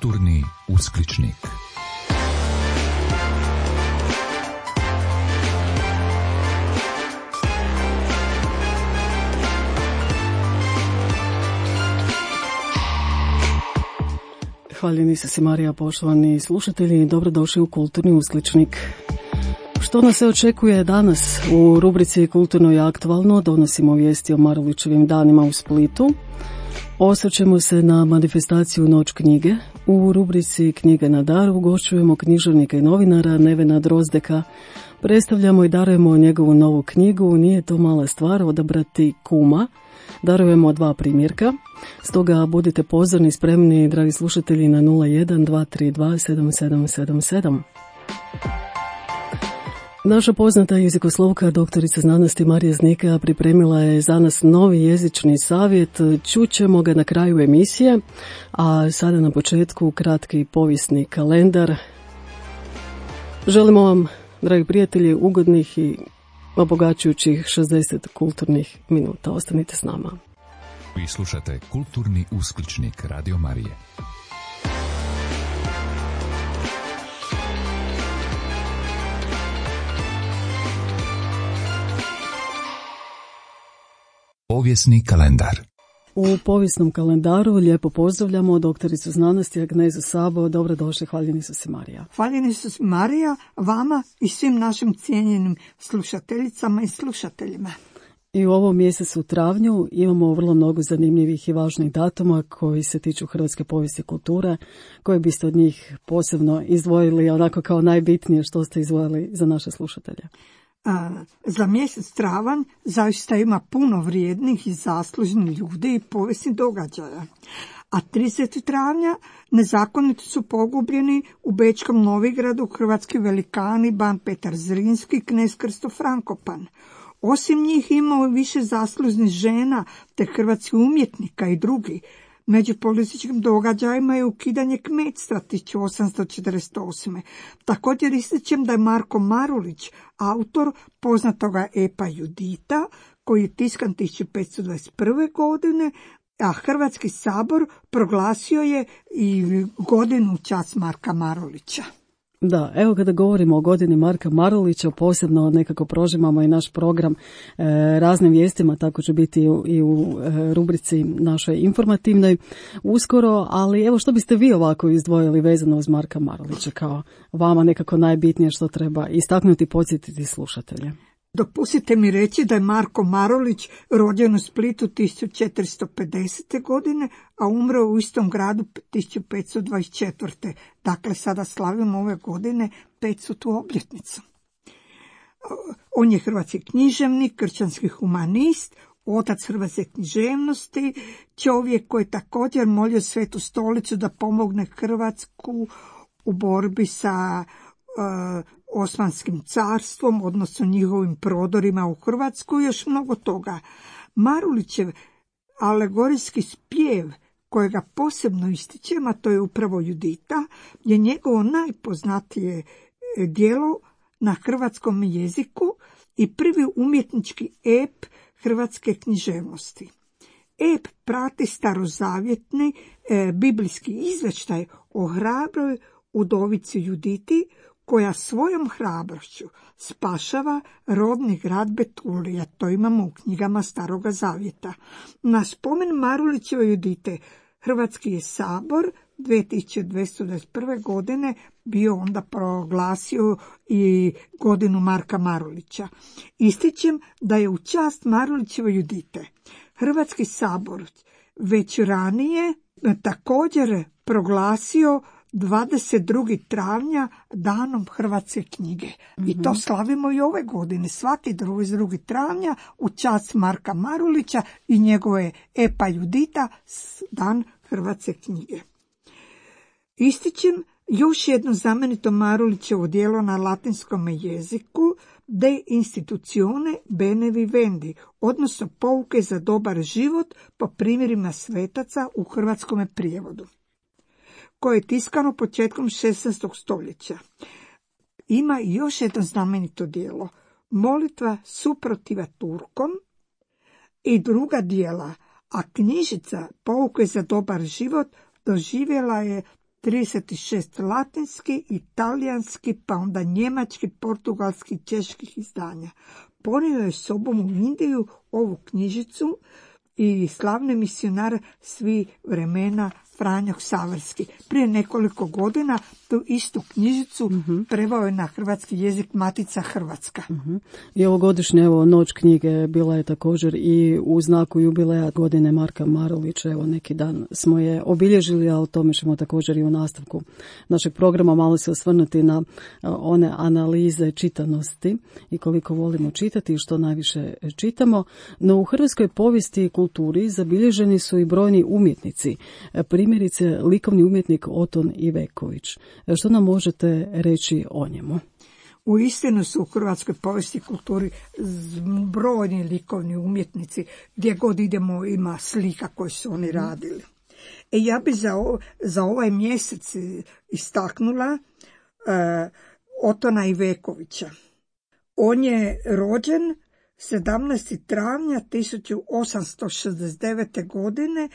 Kulturni uskličnik. Hvaljeni se Marija, poštovani slušatelji, dobrodošli u Kulturni uskličnik. Što nas se očekuje danas? U rubrici Kulturno i aktualno donosimo vijesti o Marulićevim danima u Splitu. Osvrćemo se na manifestaciju Noć knjige. U rubrici Knjige na dar ugošćujemo književnika i novinara Nevena Drozdeka. Predstavljamo i darujemo njegovu novu knjigu Nije to mala stvar odabrati kuma. Darujemo 2 primjerka, stoga budite pozorni, spremni, dragi slušatelji, na 01-232-7777. Naša poznata jezikoslovka, doktorica znanosti Marija Znika, pripremila je za nas novi jezični savjet. Čućemo ga na kraju emisije, a sada na početku kratki povijesni kalendar. Želimo vam, dragi prijatelji, ugodnih i obogaćujućih 60 kulturnih minuta. Ostanite s nama. Vi slušate Kulturni uskličnik Radio Marije. Povijesni kalendar. U povijesnom kalendaru lijepo pozdravljamo doktoricu znanosti Agnezu Sabo. Dobrodošli, hvaljeni su se Marija. Hvaljeni su se Marija, vama i svim našim cijenjenim slušateljicama i slušateljima. I u ovom mjesecu travnju imamo vrlo mnogo zanimljivih i važnih datuma koji se tiču hrvatske povijesti i kulture, koje biste od njih posebno izdvojili, onako kao najbitnije što ste izdvojili za naše slušatelje. Za mjesec travanj zaista ima puno vrijednih i zaslužnih ljudi i povijesnih događaja. A 30. travnja nezakonito su pogubljeni u Bečkom Novigradu hrvatski velikani ban Petar Zrinski i knez Krsto Frankopan. Osim njih imao više zaslužnih žena te hrvatskih umjetnika i drugi. Među političkim događajima je ukidanje kmetstva 1848. Također ističem da je Marko Marulić, autor poznatoga epa Judita, koji je tiskan 1521. godine, a Hrvatski sabor proglasio je i godinu u čast Marka Marulića. Da, evo kada govorimo o godini Marka Marulića, posebno nekako prožimamo i naš program raznim vijestima, tako će biti i u rubrici našoj informativnoj uskoro, ali evo što biste vi ovako izdvojili vezano uz Marka Marulića kao vama nekako najbitnije što treba istaknuti i podsjetiti slušatelje? Dopustite mi reći da je Marko Marulić rođen u Splitu 1450. godine, a umro u istom gradu 1524. Dakle, sada slavimo ove godine 500. obljetnicu. On je hrvatski književnik, kršćanski humanist, otac hrvatske književnosti, čovjek koji je također molio Svetu stolicu da pomogne Hrvatsku u borbi sa Osmanskim carstvom, odnosno njihovim prodorima u Hrvatsku i još mnogo toga. Marulićev alegorijski spjev, kojega posebno ističem, a to je upravo Judita, je njegovo najpoznatije djelo na hrvatskom jeziku i prvi umjetnički ep hrvatske književnosti. Ep prati starozavjetni biblijski izvještaj o hrabroj udovici Juditi, koja svojom hrabrošću spašava rodni grad Betulija. To imamo u knjigama Staroga zavjeta. Na spomen Marulićeve Judite Hrvatski je sabor 2221. godine bio onda proglasio i godinu Marka Marulića. Ističem da je u čast Marulićeve Judite Hrvatski sabor već ranije također proglasio 22. travnja danom hrvatske knjige. I to slavimo i ove godine, svaki 22. travnja u čast Marka Marulića i njegove epa Judita, dan hrvatske knjige. Ističem još jedno znamenito Marulićevo djelo na latinskom jeziku, De institutione bene vivendi, odnosno pouke za dobar život po primjerima svetaca u hrvatskom prijevodu, koje je tiskano početkom 16. stoljeća. Ima još jedno znamenito djelo, Molitva suprotiva Turkom i druga djela, a knjižica Pouke za dobar život doživjela je 36 latinski, italijanski, pa onda njemački, portugalski, čeških izdanja. Ponio je sobom u Indiju ovu knjižicu i slavni misionar svi vremena Franjo Ksaverski. Prije nekoliko godina tu istu knjižicu preveo je na hrvatski jezik Matica Hrvatska. I ovogodišnje noć knjige bila je također i u znaku jubileja godine Marka Marulića. Evo neki dan smo je obilježili, a o tome ćemo također i u nastavku našeg programa malo se osvrnuti na one analize čitanosti i koliko volimo čitati i što najviše čitamo. No u hrvatskoj povijesti i kulturi zabilježeni su i brojni umjetnici. Primjerice, likovni umjetnik Oton Iveković. Što nam možete reći o njemu? Uistinu su u hrvatskoj povijesti i kulturi brojni likovni umjetnici. Gdje god idemo ima slika koje su oni radili. Ja bi za ovaj mjesec istaknula Otona Ivekovića. On je rođen 17. travnja 1869. godine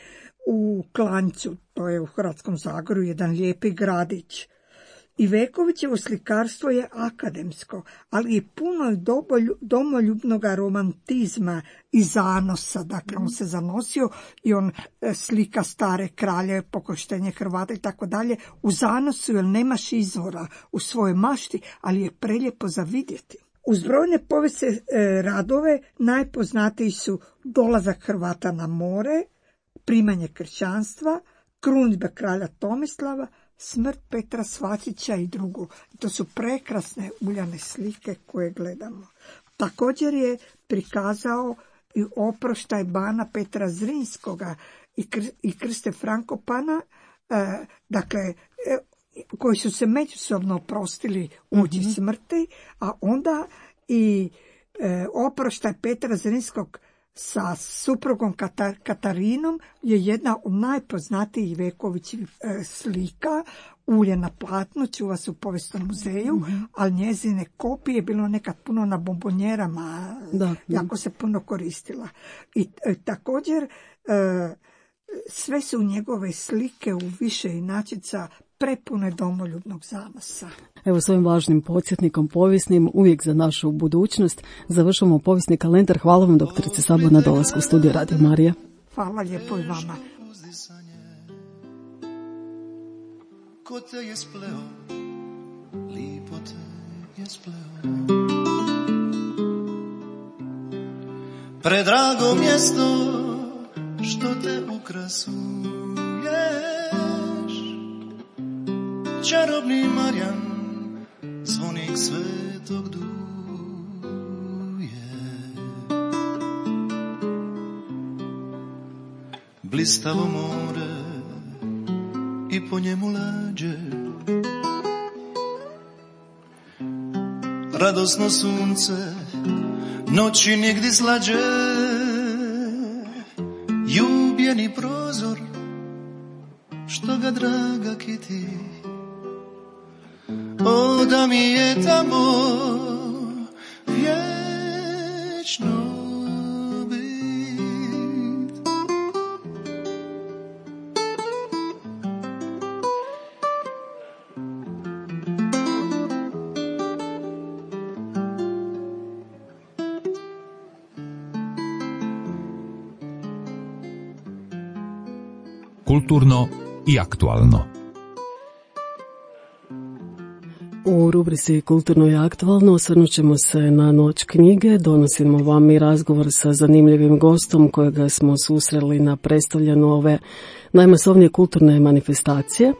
u Klanjcu, to je u Hrvatskom Zagorju, jedan lijepi gradić. Ivekovićevo slikarstvo je akademsko, ali je puno domoljubnog romantizma i zanosa. Dakle, on se zanosio i on slika stare kralje, pokoštenje Hrvata i tako dalje u zanosu, jer nemaš izvora u svojoj mašti, ali je prelijepo za vidjeti. Uz brojne povijesne radove najpoznatiji su Dolazak Hrvata na more, Primanje kršćanstva, Krunidba kralja Tomislava, Smrt Petra Svačića i drugo. To su prekrasne uljane slike koje gledamo. Također je prikazao i Oproštaj bana Petra Zrinskoga i Krste Frankopana, dakle, koji su se međusobno oprostili uoči smrti, a onda i Oproštaj Petra Zrinskog sa suprugom Katarinom je jedna od najpoznatijih Ivekovićevih slika, ulje na platnu, čuva se u Povijesnom muzeju, ali njezine kopije je bilo nekad puno na bombonjerama, jako se puno koristila. I također sve su njegove slike u više inačica prepune domoljubnog zanosa. Evo, s ovim važnim podsjetnikom povijesnim, uvijek za našu budućnost, završamo povijesni kalendar. Hvala vam, doktorice Sabo, na dolasku u studiju Radio Marija. Hvala lijepo i vama. Ko te je spleo, lipo te je spleo. Predrago mjesto što te ukrasuješ, čarobni Marjan, zvonik svetog duje. Blistavo more i po njemu lađe, radosno sunce, noći nigdje slađe, ljubljeni prozor, što ga draga kiti. O, da mi je tamo vječno bit. Kulturno i aktualno. U rubrici Kulturno i aktualno osvrnut ćemo se na noć knjige. Donosimo vam i razgovor sa zanimljivim gostom kojega smo susreli na predstavljanju ove najmasovnije kulturne manifestacije.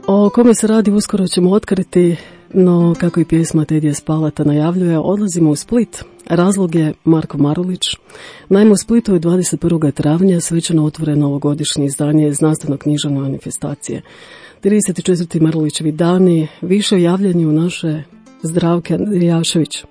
O kome se radi uskoro ćemo otkriti, no kako i pjesma Tedija Spalata najavljuje, odlazimo u Split. Razlog je Marko Marulić. Naime, u Splitu je 21. travnja svečano otvoreno ovogodišnje izdanje znanstveno-književne manifestacije. 34. Marulićevi dani, više o javljanju naše Zdravke Andrijašević.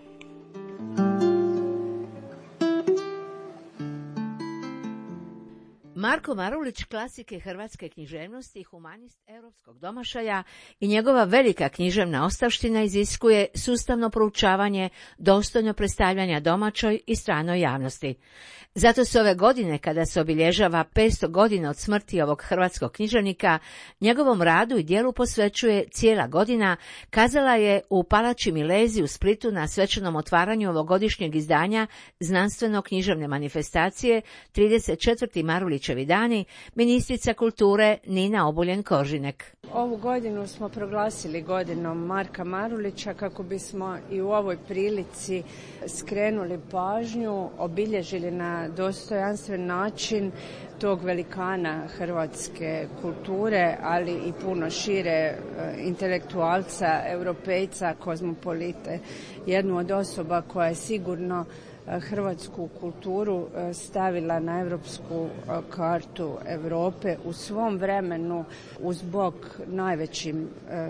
Marko Marko Marulić klasik je hrvatske književnosti i humanist europskog domašaja i njegova velika književna ostavština iziskuje sustavno proučavanje, dostojno predstavljanja domaćoj i stranoj javnosti. Zato se ove godine, kada se obilježava 500 godina od smrti ovog hrvatskog književnika, njegovom radu i djelu posvećuje cijela godina, kazala je u Palači Milezi u Splitu na svečanom otvaranju ovogodišnjeg izdanja znanstveno-književne manifestacije 34. Marulićevi dani, ministrica kulture Nina Obuljen-Koržinek. Ovu godinu smo proglasili godinom Marka Marulića kako bismo i u ovoj prilici skrenuli pažnju, obilježili na dostojanstven način tog velikana hrvatske kulture, ali i puno šire, intelektualca, europejca, kozmopolite, jednu od osoba koja je sigurno hrvatsku kulturu stavila na europsku kartu Europe u svom vremenu uz bok najvećim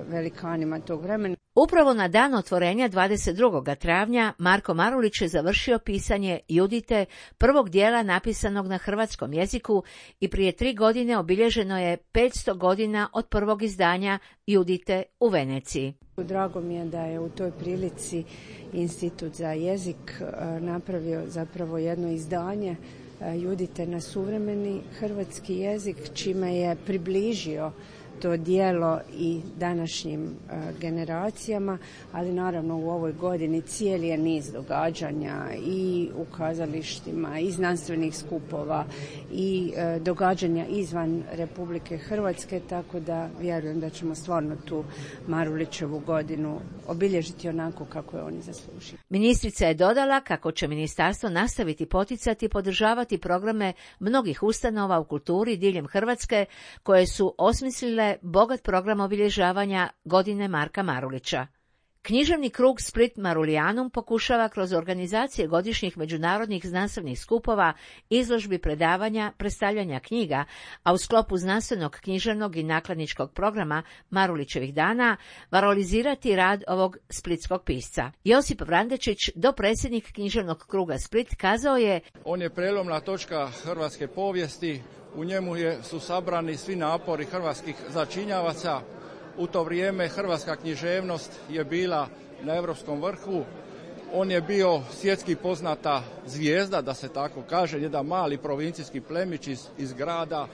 velikanima tog vremena. Upravo na dan otvorenja 22. travnja Marko Marulić je završio pisanje Judite, prvog dijela napisanog na hrvatskom jeziku, i prije 3 godine obilježeno je 500 godina od prvog izdanja Judite u Veneciji. Drago mi je da je u toj prilici Institut za jezik napravio zapravo jedno izdanje Judite na suvremeni hrvatski jezik, čime je približio to djelo i današnjim generacijama, ali naravno u ovoj godini cijeli je niz događanja i u kazalištima, i znanstvenih skupova, i događanja izvan Republike Hrvatske, tako da vjerujem da ćemo stvarno tu Marulićevu godinu obilježiti onako kako je oni zaslužili. Ministrica je dodala kako će ministarstvo nastaviti poticati i podržavati programe mnogih ustanova u kulturi diljem Hrvatske koje su osmislile bogat program obilježavanja godine Marka Marulića. Književni krug Split Marulianum pokušava kroz organizacije godišnjih međunarodnih znanstvenih skupova, izložbi, predavanja, predstavljanja knjiga, a u sklopu znanstvenog, književnog i nakladničkog programa Marulićevih dana valorizirati rad ovog splitskog pisca. Josip Vrandečić, dopredsjednik književnog kruga Split, kazao je: On je prelomna točka hrvatske povijesti, u njemu su sabrani svi napori hrvatskih začinjavaca. U to vrijeme hrvatska književnost je bila na europskom vrhu. On je bio svjetski poznata zvijezda, da se tako kaže, jedan mali provincijski plemić iz grada.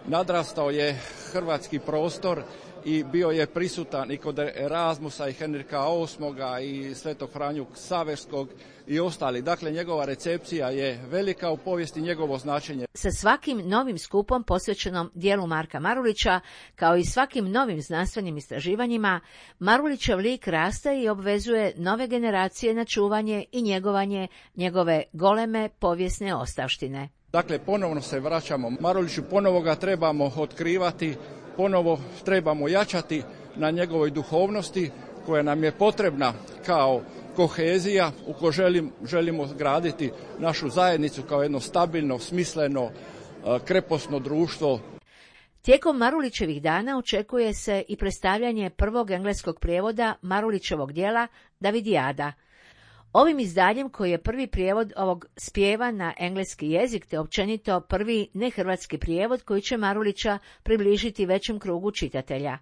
Nadrastao je hrvatski prostor i bio je prisutan i kod Erasmusa i Henrika VIII i Svetog Franju Ksaverskog i ostali. Dakle, njegova recepcija je velika u povijesti, njegovo značenje. Sa svakim novim skupom posvećenom dijelu Marka Marulića, kao i svakim novim znanstvenim istraživanjima, Marulićev lik raste i obvezuje nove generacije na čuvanje i njegovanje njegove goleme povijesne ostavštine. Dakle, ponovno se vraćamo Maruliću, ponovo ga trebamo otkrivati, ponovo trebamo jačati na njegovoj duhovnosti koja nam je potrebna kao kohezija u kojoj želimo graditi našu zajednicu kao jedno stabilno, smisleno, kreposno društvo. Tijekom Marulićevih dana očekuje se i predstavljanje prvog engleskog prijevoda Marulićevog djela Davidijada. Ovim izdanjem, koji je prvi prijevod ovog spjeva na engleski jezik te općenito prvi nehrvatski prijevod koji će Marulića približiti većem krugu čitatelja.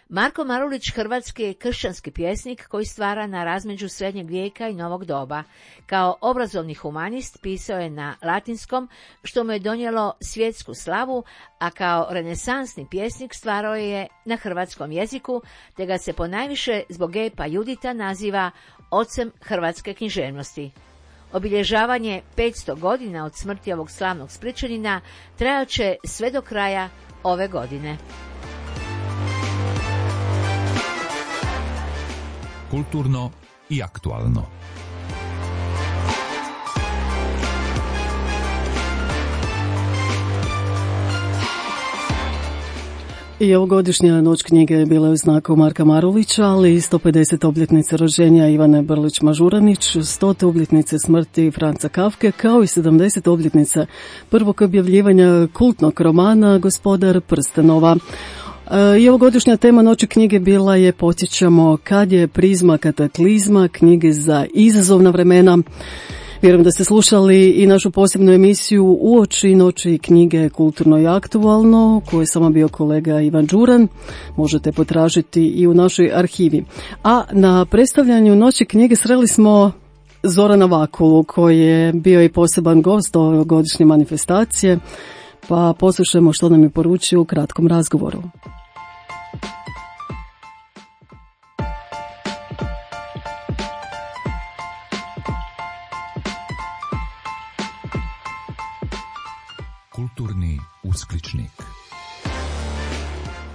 Marko Marulić hrvatski je kršćanski pjesnik koji stvara na razmeđu srednjeg vijeka i novog doba. Kao obrazovni humanist pisao je na latinskom, što mu je donijelo svjetsku slavu, a kao renesansni pjesnik stvarao je na hrvatskom jeziku, te ga se ponajviše zbog epa Judita naziva ocem hrvatske književnosti. Obilježavanje 500 godina od smrti ovog slavnog Splićanina trajat će sve do kraja ove godine. Kulturno i aktualno. I ovogodišnja noć knjige bila je u znaku Marka Marulića, ali i 150 obljetnice rođenja Ivane Brlić-Mažuranić, 100 obljetnice smrti Franca Kafke, kao i 70 obljetnica prvog objavljivanja kultnog romana Gospodar prstenova. I ovogodišnja tema Noći knjige bila je podsjećamo kad je prizma kataklizma, knjige za izazovna vremena. Vjerujem da ste slušali i našu posebnu emisiju Uoči noći knjige Kulturno i aktualno, koju je samo bio kolega Ivan Đuran. Možete potražiti i u našoj arhivi. A na predstavljanju Noći knjige sreli smo Zorana Vakulu, koji je bio i poseban gost ove godišnje manifestacije, pa poslušajmo što nam je poručio u kratkom razgovoru. Kulturni uskličnik.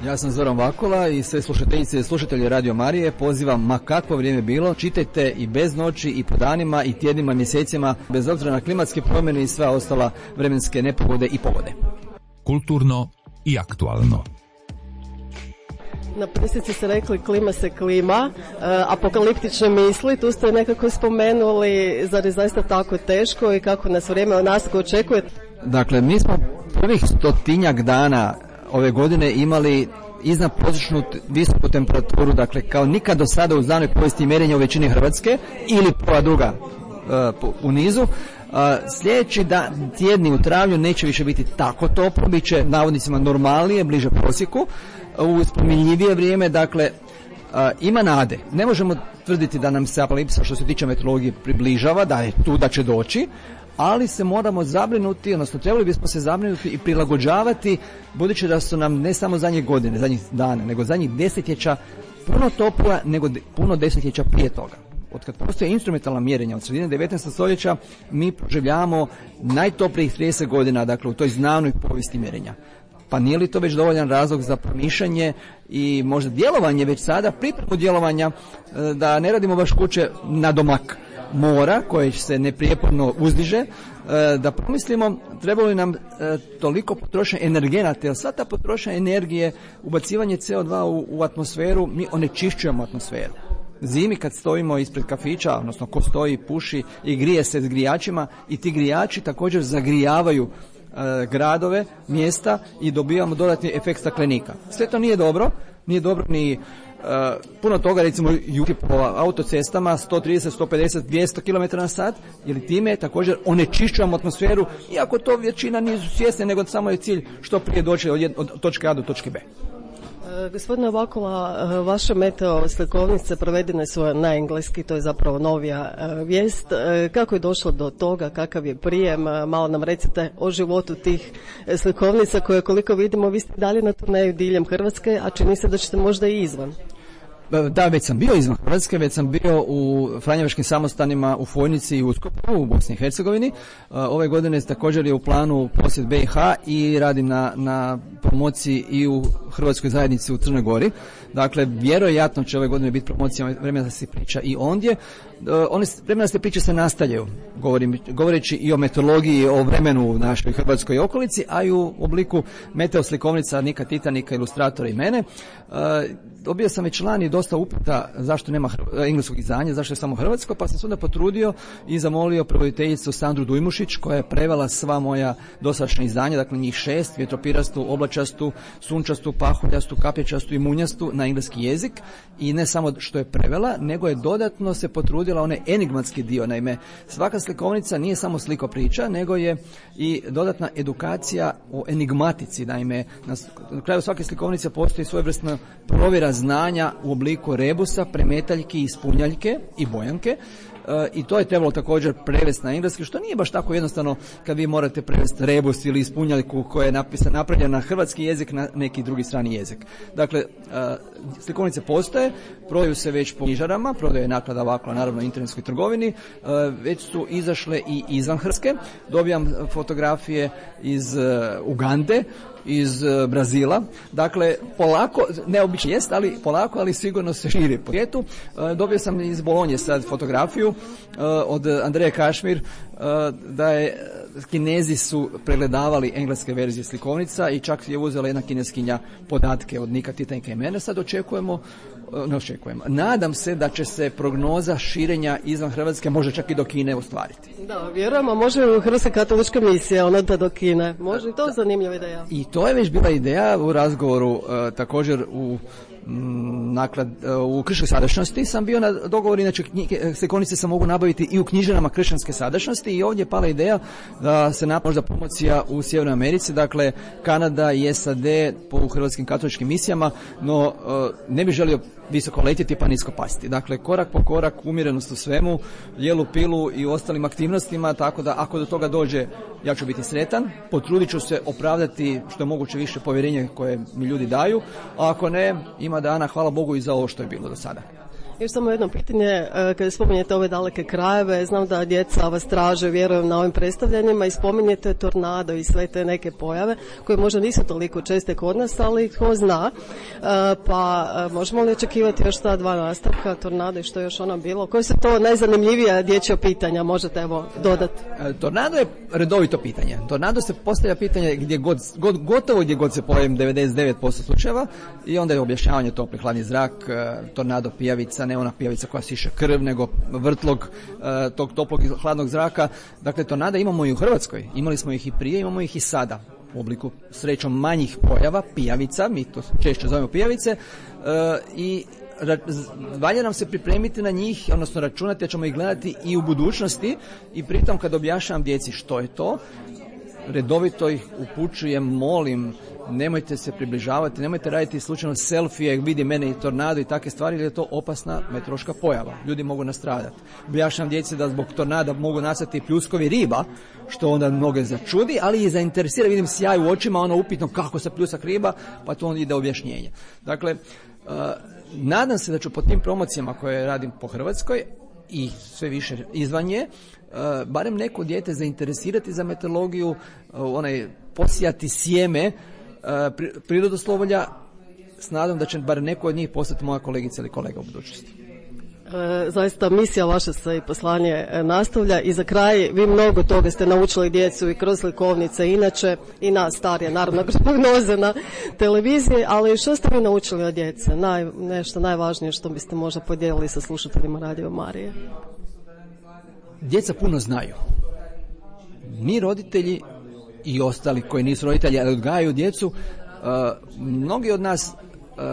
Ja sam Zoran Vakula i sve slušateljice i slušatelje Radio Marije pozivam, ma kakvo vrijeme bilo, čitajte i bez noći i po danima i tjednima, mjesecima, bez obzira na klimatske promjene i sva ostala vremenske nepogode i pogode. Kulturno i aktualno. Na presici ste rekli klima se klima, apokaliptične misli, tu ste nekako spomenuli, zar je zaista tako teško i kako nas vrijeme od nas očekuje? Dakle, mi smo prvih 100-tinjak dana ove godine imali iznad prosječnu visoku temperaturu, dakle kao nikad do sada u znanoj povijesti mjerenja u većini Hrvatske ili prva druga u nizu. Sljedeći tjedni u travnju neće više biti tako toplo, bit će navodnicima normalnije, bliže prosjeku, u spominjivije vrijeme, dakle ima nade. Ne možemo tvrditi da nam se apokalipsa što se tiče meteorologije približava, da je tu, da će doći, ali se moramo zabrinuti, odnosno trebali bismo se zabrinuti i prilagođavati, budući da su nam ne samo zadnje godine, zadnjih dana, nego zadnjih desetljeća puno toplija nego puno desetljeća prije toga. Od kad postoje instrumentalna mjerenja od sredine 19. stoljeća, mi proživljavamo najtoplijih 30 godina, dakle u toj znanoj povijesti mjerenja. Pa nije li to već dovoljan razlog za promišljanje i možda djelovanje već sada, pripremu djelovanja, da ne radimo baš kuće na domak mora koje se neprijeporno uzdiže, da pomislimo trebalo li nam toliko potrošnje energenata, jer sva ta potrošnja energije, ubacivanje CO2 u atmosferu, mi onečišćujemo atmosferu. Zimi kad stojimo ispred kafića, odnosno ko stoji, puši i grije se s grijačima, i ti grijači također zagrijavaju gradove, mjesta i dobivamo dodatni efekt staklenika. Sve to nije dobro ni puno toga, recimo po autocestama 130, 150, 200 km na sat, jer time također onečišćujemo atmosferu, iako to većina nisu svjesni, nego samo je cilj što prije doći od točke A do točke B. Gospodine Vakula, vaše meteo slikovnice provedene su na engleski, to je zapravo novija vijest. Kako je došlo do toga, kakav je prijem, malo nam recite o životu tih slikovnica koje, koliko vidimo, vi ste dalje na turneju diljem Hrvatske, a čini se da ćete možda i izvan. Da, već sam bio izvan Hrvatske, već sam bio u Franjevačkim samostanima u Fojnici i Uskopu u Bosni i Hercegovini. Ove godine također je u planu posjet BiH i radim na promociji i u Hrvatskoj zajednici u Crnoj Gori. Dakle, vjerojatno će ove godine biti promocija Vremena se priča i ondje. Vremena se priče se nastavljaju, govoreći i o meteorologiji, o vremenu u našoj Hrvatskoj okolici, a i u obliku meteo slikovnica Nika Titanika, ilustratora i mene. Dobio sam već lani dosta upita zašto nema engleskog izdanja, zašto je samo hrvatsko, pa sam se onda potrudio i zamolio prevoditeljicu Sandru Dujmušić, koja je prevela sva moja dosadašnja izdanja, dakle njih 6, vjetropirastu, oblačastu, sunčastu, pahuljastu, kapječastu i munjastu na engleski jezik, i ne samo što je prevela, nego je dodatno se potrudila onaj enigmatski dio. Naime, svaka slikovnica nije samo slikopriča, nego je i dodatna edukacija o enigmatici. Naime, na kraju svake slikovnice postoji svojevrsna provjera znanja u obliku rebusa, premetaljki, ispunjaljke i bojanke. I to je trebalo također prevesti na engleski, što nije baš tako jednostavno kad vi morate prevesti rebus ili ispunjaljku koja je napravljena na hrvatski jezik na neki drugi strani jezik. Dakle, slikovnice postoje, prodaju se već po knjižarama, prodaje Naklada Vakula naravno u internetskoj trgovini, već su izašle i izvan Hrvatske. Dobijam fotografije iz Ugande, iz Brazila. Dakle, polako, neobično jest, ali polako, ali sigurno se širi po svijetu. Dobio sam iz Bolonje sad fotografiju od Andreje Kašmir, da je Kinezi su pregledavali engleske verzije slikovnica i čak je uzela jedna kineskinja podatke od Nika Titanika i mene. Sad nadam se da će se prognoza širenja izvan Hrvatske, može čak i do Kine, ostvariti. Da, vjerujemo, može u Hrvatska katolička misija, ona da do Kine. Može i to zanimljiva ideja. I to je već bila ideja u razgovoru također u kršćanskoj sadašnjosti sam bio na dogovor, inače slikovnice se mogu nabaviti i u knjižarama kršćanske sadašnjosti i ovdje je pala ideja da se napravi možda promocija u Sjevernoj Americi, dakle Kanada i SAD po hrvatskim katoličkim misijama, no ne bih želio visoko letjeti pa nisko pasti. Dakle, korak po korak, umjerenost u svemu, jelu pilu i ostalim aktivnostima, tako da ako do toga dođe, ja ću biti sretan, potrudit ću se opravdati što je moguće više povjerenje koje mi ljudi daju, a ako ne, ima dana, hvala Bogu i za ovo što je bilo do sada. Još samo jedno pitanje, kada spominjete ove daleke krajeve, znam da djeca vas traže, vjerujem, na ovim predstavljanjima i spominjete tornado i sve te neke pojave koje možda nisu toliko česte kod nas, ali tko zna, pa možemo li očekivati još ta dva nastavka, tornado i što je još ono bilo? Koje su to najzanimljivija dječja pitanja, možete evo dodati? Tornado je redovito pitanje. Tornado se postavlja pitanje gotovo gdje god se pojavim 99% slučajeva i onda je objašnjavanje topli hladni zrak, tornado pijavica, ne ona pijavica koja siše krv, nego vrtlog tog toplog i hladnog zraka. Dakle, tornada imamo i u Hrvatskoj. Imali smo ih i prije, imamo ih i sada. U obliku srećom manjih pojava, pijavica, mi to češće zovemo pijavice, i valja nam se pripremiti na njih, odnosno računati da ćemo ih gledati i u budućnosti i pritom kad objašnjavam djeci što je to, redovito ih upućujem, molim, nemojte se približavati, nemojte raditi slučajno selfije, vidi mene i tornado i takve stvari, jer je to opasna meteorološka pojava. Ljudi mogu nastradati. Objašnjam djeci da zbog tornada mogu nastati pljuskovi riba, što onda mnoge začudi, ali i zainteresira, vidim sjaj u očima, ono upitno kako se pljusak riba, pa to onda ide objašnjenje. Dakle, nadam se da ću po tim promocijama koje radim po Hrvatskoj i sve više izvan nje, barem neko dijete zainteresirati za meteorologiju, posijati sjeme prirodoslovlja, s nadom da će bar neko od njih postati moja kolegica ili kolega u budućnosti. Zaista misija vaša se i poslanje nastavlja i za kraj vi mnogo toga ste naučili djecu i kroz slikovnice inače i nas starije, naravno kroz prognoze na televiziji, ali što ste vi naučili od djece? Nešto najvažnije što biste možda podijelili sa slušateljima Radio Marije? Djeca puno znaju. Mi roditelji i ostali koji nisu roditelji, ali odgajaju djecu, mnogi od nas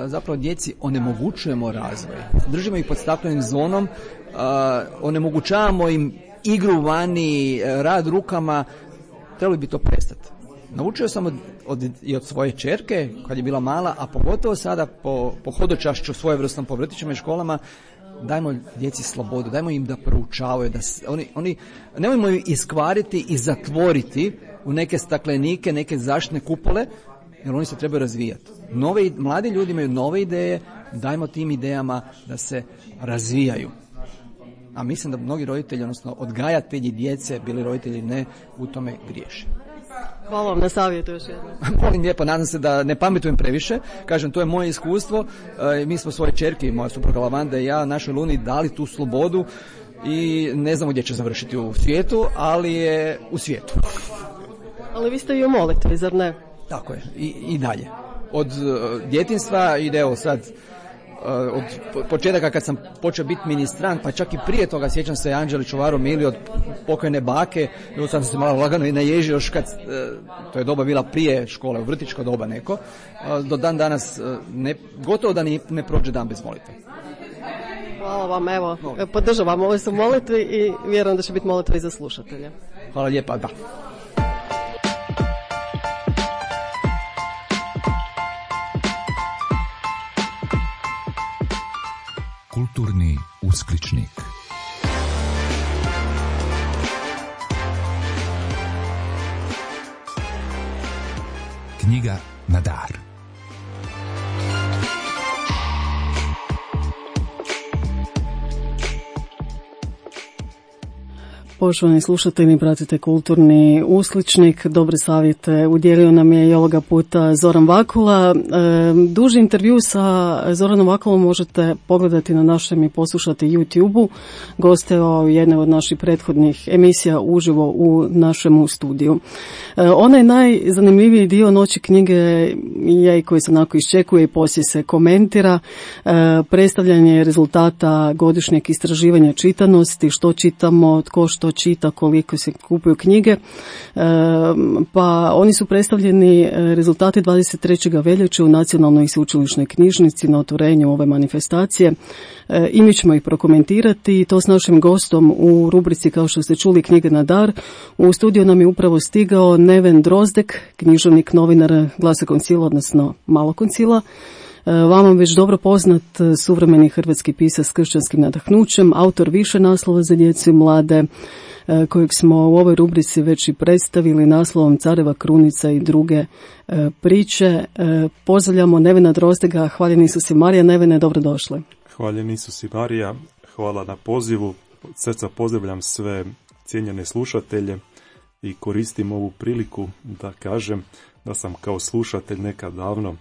zapravo djeci onemogućujemo razvoj. Držimo ih pod staklenim zvonom, onemogućavamo im igru vani, rad rukama, trebali bi to prestati. Naučio sam i od svoje ćerke kad je bila mala, a pogotovo sada po hodočašću svojevrsnom po vrtićima i školama, dajmo djeci slobodu, dajmo im da proučavaju, da oni nemojmo ih iskvariti i zatvoriti u neke staklenike, neke zaštitne kupole, jer oni se trebaju razvijati. Mladi ljudi imaju nove ideje, dajmo tim idejama da se razvijaju. A mislim da mnogi roditelji, odnosno odgajatelji djece, bili roditelji ne, u tome griješe. Hvala vam na savjetu još jednom. Molim lijepo, nadam se da ne pametujem previše. Kažem, to je moje iskustvo. Mi smo svoje ćerke, moja supruga Lavanda i ja, našoj Luni, dali tu slobodu i ne znamo gdje će završiti u svijetu, ali je u svijetu. Ali vi ste i u molitvi, zar ne? Tako je, i dalje. Od djetinjstva ide sad, od početaka kad sam počeo biti ministrant, pa čak i prije toga, sjećam se Anđeli Čuvaro Mili od pokojne bake, sad sam se malo lagano i naježio još kad, to je doba bila prije škole, u vrtićko doba neko, do dan danas gotovo da ne prođe dan bez molitve. Hvala vam, evo, podržavam ove su molitvi i vjerujem da će biti molitve i za slušatelje. Hvala lijepa, da. Kulturni uskličnik. Knjiga na dar. Poštovani slušatelji, pratite Kulturni uskličnik. Dobre savjete udjelio nam je i ovoga puta Zoran Vakula. Duži intervju sa Zoranom Vakulom možete pogledati na našem i poslušati YouTube-u. Gosteo jedne od naših prethodnih emisija uživo u našemu studiju. Onaj najzanimljiviji dio Noći knjige je i koji se onako iščekuje i poslije se komentira. Predstavljanje rezultata godišnjeg istraživanja čitanosti, što čitamo, tko što što čita, koliko se kupuju knjige. Pa oni su predstavljeni rezultati 23. veljače u Nacionalnoj sveučilišnoj knjižnici na otvorenju ove manifestacije. I mi ćemo ih prokomentirati i to s našim gostom u rubrici, kao što ste čuli, Knjige na dar. U studiju nam je upravo stigao Neven Drozdek, književnik, novinar Glasa koncila, odnosno Malo koncila. Vama već dobro poznat suvremeni hrvatski pisac s kršćanskim nadahnućem, autor više naslova za djecu i mlade, kojeg smo u ovoj rubrici već i predstavili naslovom Careva krunica i druge priče. Pozdravljamo Nevena Drozdega, hvaljeni Isus i Marija. Nevene, dobrodošli. Hvaljeni Isus i Marija, hvala na pozivu. Od srca pozdravljam sve cijenjene slušatelje i koristim ovu priliku da kažem da sam kao slušatelj nekad davno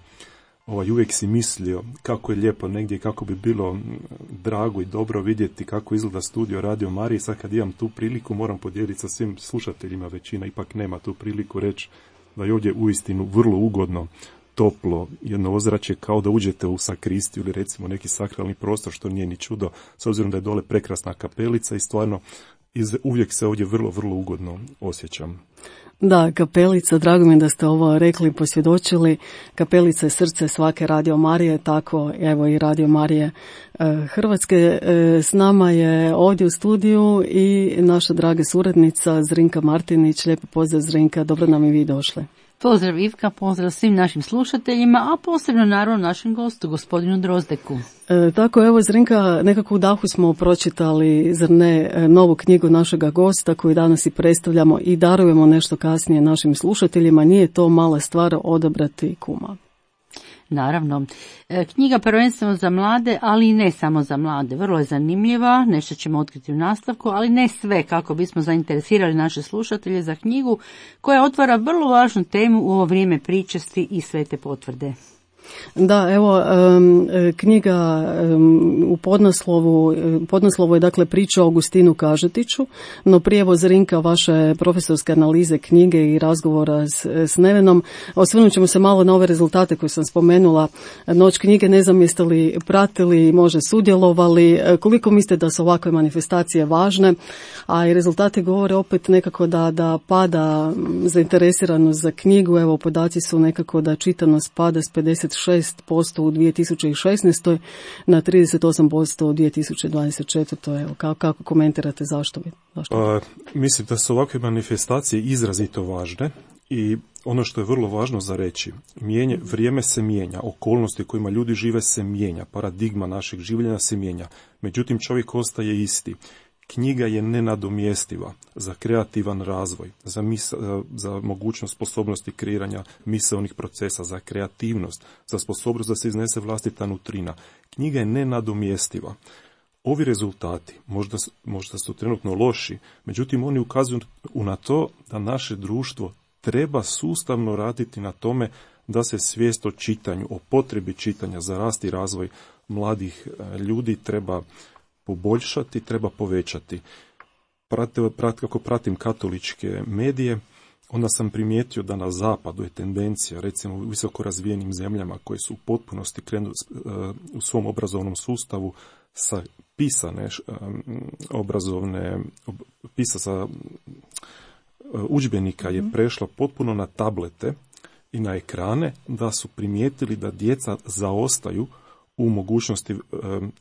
uvijek si mislio kako je lijepo negdje, kako bi bilo drago i dobro vidjeti kako izgleda studio Radio Marije. Sad kad imam tu priliku moram podijeliti sa svim slušateljima, većina ipak nema tu priliku reći da je ovdje uistinu vrlo ugodno, toplo, jedno ozračje kao da uđete u sakristiju ili recimo neki sakralni prostor, što nije ni čudo, s obzirom da je dole prekrasna kapelica i stvarno uvijek se ovdje vrlo, vrlo ugodno osjećam. Da, kapelica, drago mi da ste ovo rekli i posvjedočili. Kapelica je srce svake Radio Marije, tako evo i Radio Marije Hrvatske. S nama je ovdje u studiju i naša draga suradnica Zrinka Martinić. Lijepo pozdrav, Zrinka, dobro nam i vi došli. Pozdrav Ivka, pozdrav svim našim slušateljima, a posebno naravno našem gostu, gospodinu Drozdeku. Tako, evo Zrinka, nekako u dahu smo pročitali, zar ne, novu knjigu našega gosta koju danas i predstavljamo i darujemo nešto kasnije našim slušateljima. Nije to mala stvar odabrati kuma. Naravno, knjiga prvenstveno za mlade, ali i ne samo za mlade. Vrlo je zanimljiva, nešto ćemo otkriti u nastavku, ali ne sve, kako bismo zainteresirali naše slušatelje za knjigu koja otvara vrlo važnu temu u ovo vrijeme pričesti i svete potvrde. Da, evo, knjiga u podnaslovu je dakle priča o Augustinu Kažetiću, no prije Zrinka vaše profesorske analize knjige i razgovora s Nevenom, osvrnut ćemo se malo na ove rezultate koje sam spomenula. Noć knjige, ne znam jeste li pratili, možda sudjelovali, koliko mislite da su ovakve manifestacije važne, a i rezultati govore opet nekako da pada zainteresiranost za knjigu. Evo, podaci su nekako da čitanost pada s 56% u 2016. na 38% u 2024. Evo, kako komentirate, zašto? Mislim da su ovakve manifestacije izrazito važne i ono što je vrlo važno za reći, vrijeme se mijenja, okolnosti u kojima ljudi žive se mijenja, paradigma našeg življenja se mijenja, međutim čovjek ostaje isti. Knjiga je nenadomjestiva za kreativan razvoj, za mogućnost sposobnosti kreiranja misaonih procesa, za kreativnost, za sposobnost da se iznese vlastita nutrina. Knjiga je nenadomjestiva. Ovi rezultati možda su trenutno loši, međutim oni ukazuju na to da naše društvo treba sustavno raditi na tome da se svijest o čitanju, o potrebi čitanja za rast i razvoj mladih ljudi treba poboljšati, treba povećati. Kako pratim katoličke medije, onda sam primijetio da na zapadu je tendencija, recimo u visoko razvijenim zemljama koje su u potpunosti krenuli u svom obrazovnom sustavu sa pisane sa udžbenika je prešla potpuno na tablete i na ekrane, da su primijetili da djeca zaostaju u mogućnosti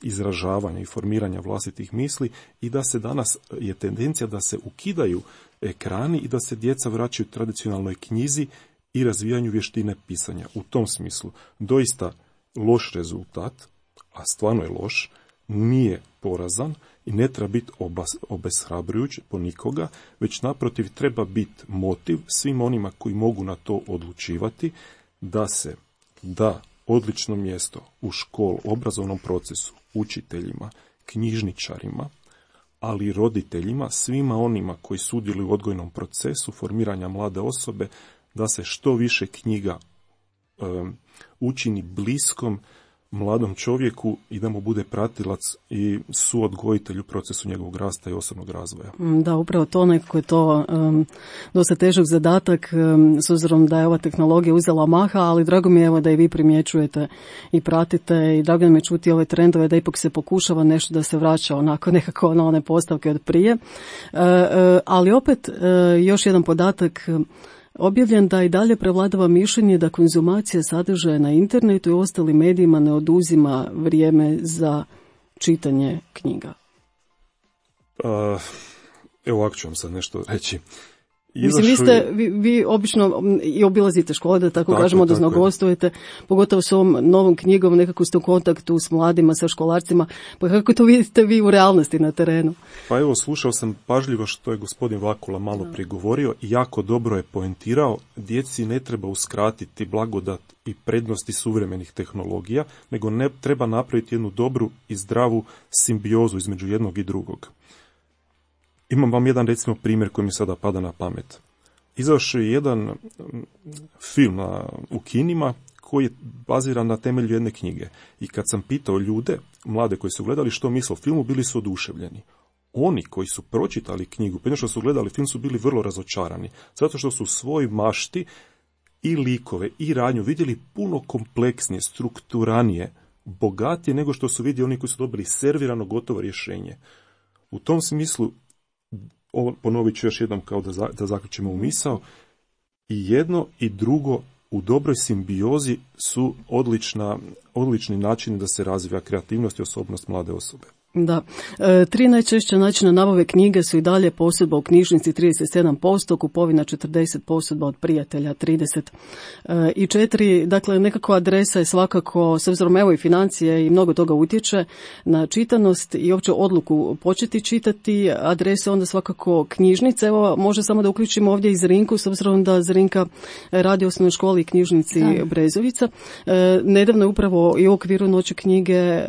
izražavanja i formiranja vlastitih misli i da se danas je tendencija da se ukidaju ekrani i da se djeca vraćaju tradicionalnoj knjizi i razvijanju vještine pisanja. U tom smislu doista loš rezultat, a stvarno je loš, nije porazan i ne treba biti obeshrabrujuć po nikoga, već naprotiv treba biti motiv svim onima koji mogu na to odlučivati da se da odlično mjesto u obrazovnom procesu, učiteljima, knjižničarima, ali i roditeljima, svima onima koji sudjeluju u odgojnom procesu formiranja mlade osobe, da se što više knjiga učini bliskom mladom čovjeku i da mu bude pratilac i suodgojitelj u procesu njegovog rasta i osobnog razvoja. Da, upravo to, nekako je to dosta težak zadatak s obzirom da je ova tehnologija uzela maha, ali drago mi je evo da i vi primjećujete i pratite i drago mi je čuti ove trendove da ipak se pokušava nešto da se vraća onako nekako na one postavke od prije. Ali opet još jedan podatak objavljen da i dalje prevladava mišljenje da konzumacija sadržaja na internetu i ostalim medijima ne oduzima vrijeme za čitanje knjiga. Evo ovako ću vam sad nešto reći. Mislim, vi obično i obilazite škole, da tako kažemo, odnosno gostujete, pogotovo s ovom novom knjigom, nekako ste u kontaktu s mladima, sa školarcima, pa kako to vidite vi u realnosti na terenu? Pa evo, slušao sam pažljivo što je gospodin Vakula malo prije govorio i jako dobro je poentirao, djeci ne treba uskratiti blagodat i prednosti suvremenih tehnologija, nego ne treba napraviti jednu dobru i zdravu simbiozu između jednog i drugog. Imam vam jedan, recimo, primjer koji mi sada pada na pamet. Izašao je jedan film u kinima koji je baziran na temelju jedne knjige. I kad sam pitao ljude, mlade koji su gledali što misle o filmu, bili su oduševljeni. Oni koji su pročitali knjigu, prije što su gledali film, su bili vrlo razočarani. Zato što su u svojoj mašti i likove i radnju vidjeli puno kompleksnije, strukturanije, bogatije nego što su vidjeli oni koji su dobili servirano gotovo rješenje. U tom smislu, ponovit ću još jednom kao da zaključimo u misao, i jedno i drugo u dobroj simbiozi su odlični načini da se razvija kreativnost i osobnost mlade osobe. Da. 3 najčešća načina nabave knjige su i dalje posudba u knjižnici 37%, kupovina 40%, od prijatelja 30%. I 4, dakle nekako adresa je svakako, s obzirom evo i financije i mnogo toga utječe na čitanost i uopće odluku početi čitati, adresa onda svakako knjižnice. Evo, može samo da uključimo ovdje i Zrinku, s obzirom da Zrinka radi u osnovnoj školi i knjižnici Brezovica. Nedavno je upravo i u okviru Noći knjige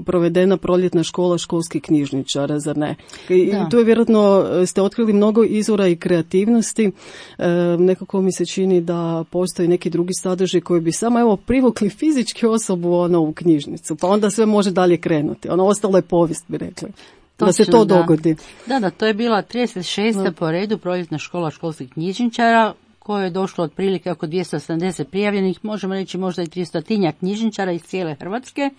provedena proljetna škola školskih knjižničara, zar ne? I tu je vjerojatno ste otkrili mnogo izvora i kreativnosti. Nekako mi se čini da postoji neki drugi sadržaj koji bi samo evo privukli fizički osobu u knjižnicu, pa onda sve može dalje krenuti. Ostalo je povijest, bi rekli. Da se to dogodi. Da, to je bila 36. po redu proljetna škola školskih knjižničara, koje je došlo otprilike oko 270 prijavljenih, možemo reći možda i 300 knjižničara iz cijele Hrvatske.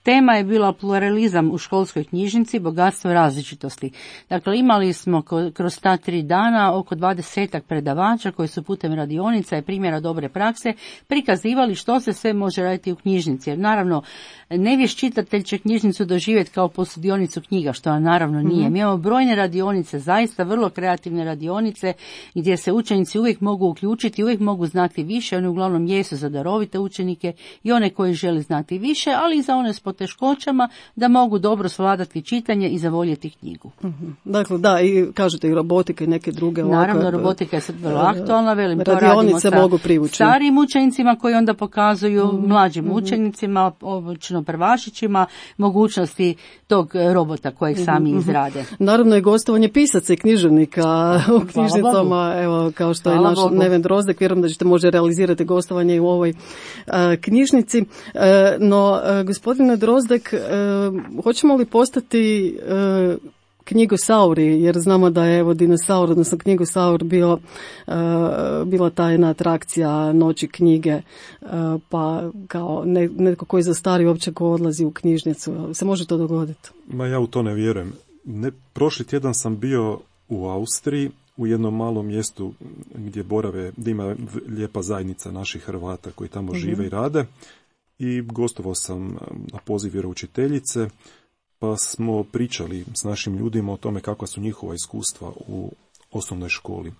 Tema je bila pluralizam u školskoj knjižnici, bogatstvo različitosti. Dakle, imali smo kroz ta 3 dana oko 20 predavača koji su putem radionica i primjera dobre prakse prikazivali što se sve može raditi u knjižnici. Jer naravno, nevješt čitatelj će knjižnicu doživjeti kao posudionicu knjiga, što naravno nije. Mi imamo brojne radionice, zaista vrlo kreativne radionice gdje se učenici uvijek mogu uključiti, uvijek mogu znati više. Oni uglavnom jesu za darovite učenike i one koji žele znati više, ali i za one s poteškoćama da mogu dobro svladati čitanje i zavoljeti knjigu. Dakle, da, i kažete i robotika i neke druge. Naravno, robotika je sad vrlo aktualna, velim, to radimo sa mogu starijim učenicima koji onda pokazuju mlađim učenicima, obično prvašićima, mogućnosti tog robota kojeg sami izrade. Naravno je gostovanje pisaca i književnika u knjižnicama, evo, kao što je naš Neven Drozdek, vjerujem da ćete možda realizirati gostovanje i u ovoj knjižnici. No, gospodine Drozdek, hoćemo li postati knjigosauri, jer znamo da je dinosaur, odnosno knjigosaur bila ta jedna atrakcija Noći knjige, pa kao netko koji zastari uopće ko odlazi u knjižnicu. Se može to dogoditi? Ma ja u to ne vjerujem. Prošli tjedan sam bio u Austriji, u jednom malom mjestu gdje ima lijepa zajednica naših Hrvata koji tamo žive i rade. I gostovao sam na poziv vjeroučiteljice, pa smo pričali s našim ljudima o tome kakva su njihova iskustva u osnovnoj školi.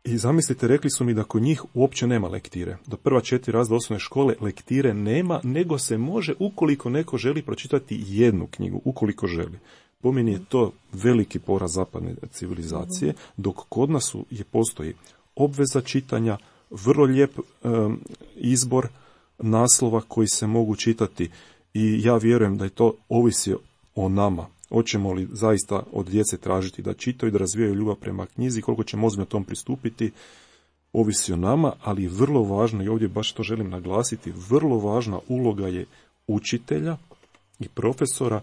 I zamislite, rekli su mi da kod njih uopće nema lektire. Do prva 4 razreda osnovne škole lektire nema, nego se može, ukoliko neko želi pročitati jednu knjigu, ukoliko želi. Po meni je to veliki poraz zapadne civilizacije, dok kod nas postoji obveza čitanja, vrlo lijep izbor naslova koji se mogu čitati i ja vjerujem da je to ovisi o nama. Hoćemo li zaista od djece tražiti da čitaju, da razvijaju ljubav prema knjizi, koliko ćemo ozbiljno tom pristupiti, ovisi o nama, ali vrlo važno, i ovdje baš to želim naglasiti, vrlo važna uloga je učitelja i profesora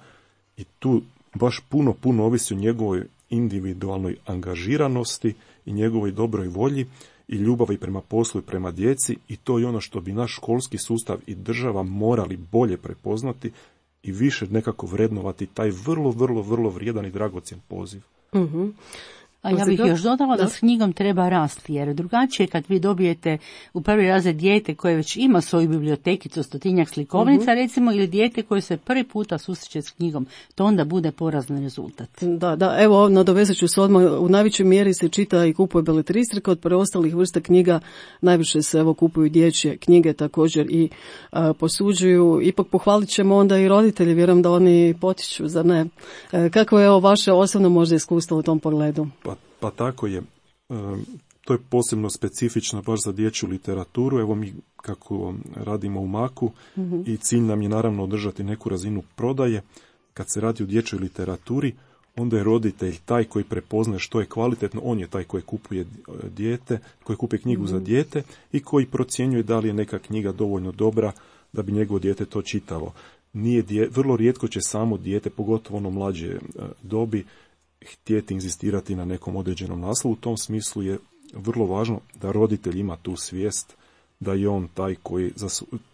i tu baš puno ovisi o njegovoj individualnoj angažiranosti i njegovoj dobroj volji i ljubavi prema poslu i prema djeci, i to je ono što bi naš školski sustav i država morali bolje prepoznati i više nekako vrednovati taj vrlo vrijedan i dragocjen poziv. Mhm. A ja bih još dodala da s knjigom treba rasti, jer drugačije kad vi dobijete u prvi razred dijete koje već ima svoju bibliotekicu, 100-tinjak slikovnica, recimo, ili dijete koje se prvi puta susreće s knjigom, to onda bude porazan rezultat. Da, evo, nadovezat ću se odmah, u najvećoj mjeri se čita i kupuje beletristrika, od preostalih vrsta knjiga najviše se kupuju dječje knjige također i posuđuju. Ipak pohvalit ćemo onda i roditelji, vjerujem da oni potiču, zar ne? Kako je vaše osobno možda iskustvo u tom pogledu? Pa tako je. To je posebno specifično baš za dječju literaturu. Evo mi kako radimo u Maku i cilj nam je naravno održati neku razinu prodaje. Kad se radi o dječjoj literaturi, onda je roditelj taj koji prepoznaje što je kvalitetno, on je taj koji kupuje dijete, koji kupuje knjigu za dijete i koji procjenjuje da li je neka knjiga dovoljno dobra da bi njegovo dijete to čitalo. Vrlo rijetko će samo dijete, pogotovo ono mlađe dobi, htjeti inzistirati na nekom određenom naslovu. U tom smislu je vrlo važno da roditelj ima tu svijest da je on taj koji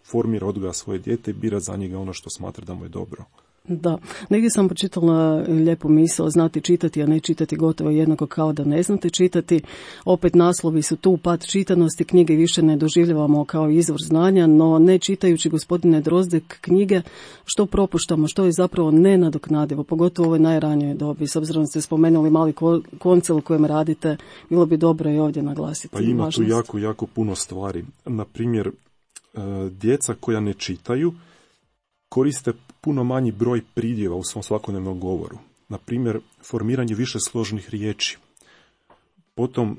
formira, odgoja svoje dijete i bira za njega ono što smatra da mu je dobro. Da, negdje sam počitala lijepu misao, znati čitati, a ne čitati gotovo jednako kao da ne znate čitati. Opet naslovi su tu, pad čitanosti, knjige više ne doživljavamo kao izvor znanja, no ne čitajući, gospodine Drozdek, knjige, što propuštamo, što je zapravo nenadoknadivo, pogotovo u ovoj najranijoj dobi. S obzirom da ste spomenuli mali koncil u kojem radite, bilo bi dobro i ovdje naglasiti. Pa ima tu jako puno stvari. Na primjer, djeca koja ne čitaju koriste puno manji broj pridjeva u svom svakodnevnom govoru. Na primjer, formiranje više složnih riječi. Potom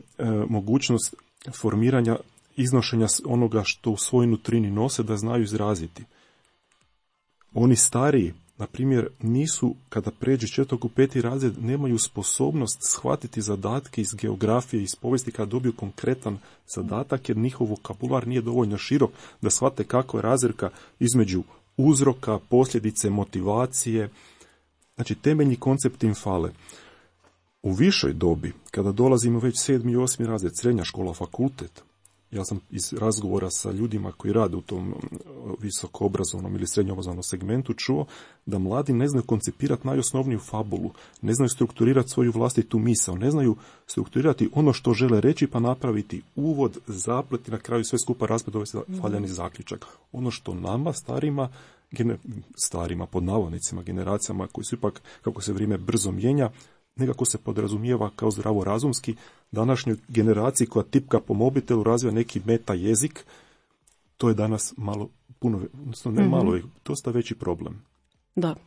mogućnost formiranja, iznošenja onoga što u svojoj nutrini nose da znaju izraziti. Oni stariji, na primjer, nisu, kada pređu 4. u 5. razred, nemaju sposobnost shvatiti zadatke iz geografije, iz povijesti kada dobiju konkretan zadatak, jer njihov vokabular nije dovoljno širok da shvate kako je razlika između uzroka, posljedice, motivacije. Znači, temeljni koncepti im fale. U višoj dobi, kada dolazimo već 7. i 8. razred, srednja škola, fakultet, ja sam iz razgovora sa ljudima koji rade u tom visokoobrazovnom ili srednjoobrazovnom segmentu čuo da mladi ne znaju koncipirati najosnovniju fabulu, ne znaju strukturirati svoju vlastitu misao, ne znaju strukturirati ono što žele reći pa napraviti uvod, zaplet i na kraju sve skupa raspred dovesti valjani zaključak. Ono što nama, starima pod navodnicima, generacijama koji su ipak, kako se vrijeme brzo mijenja, nekako se podrazumijeva kao zdravorazumski, današnjoj generaciji koja tipka po mobitelu razvija neki meta jezik, to je danas dosta veći problem.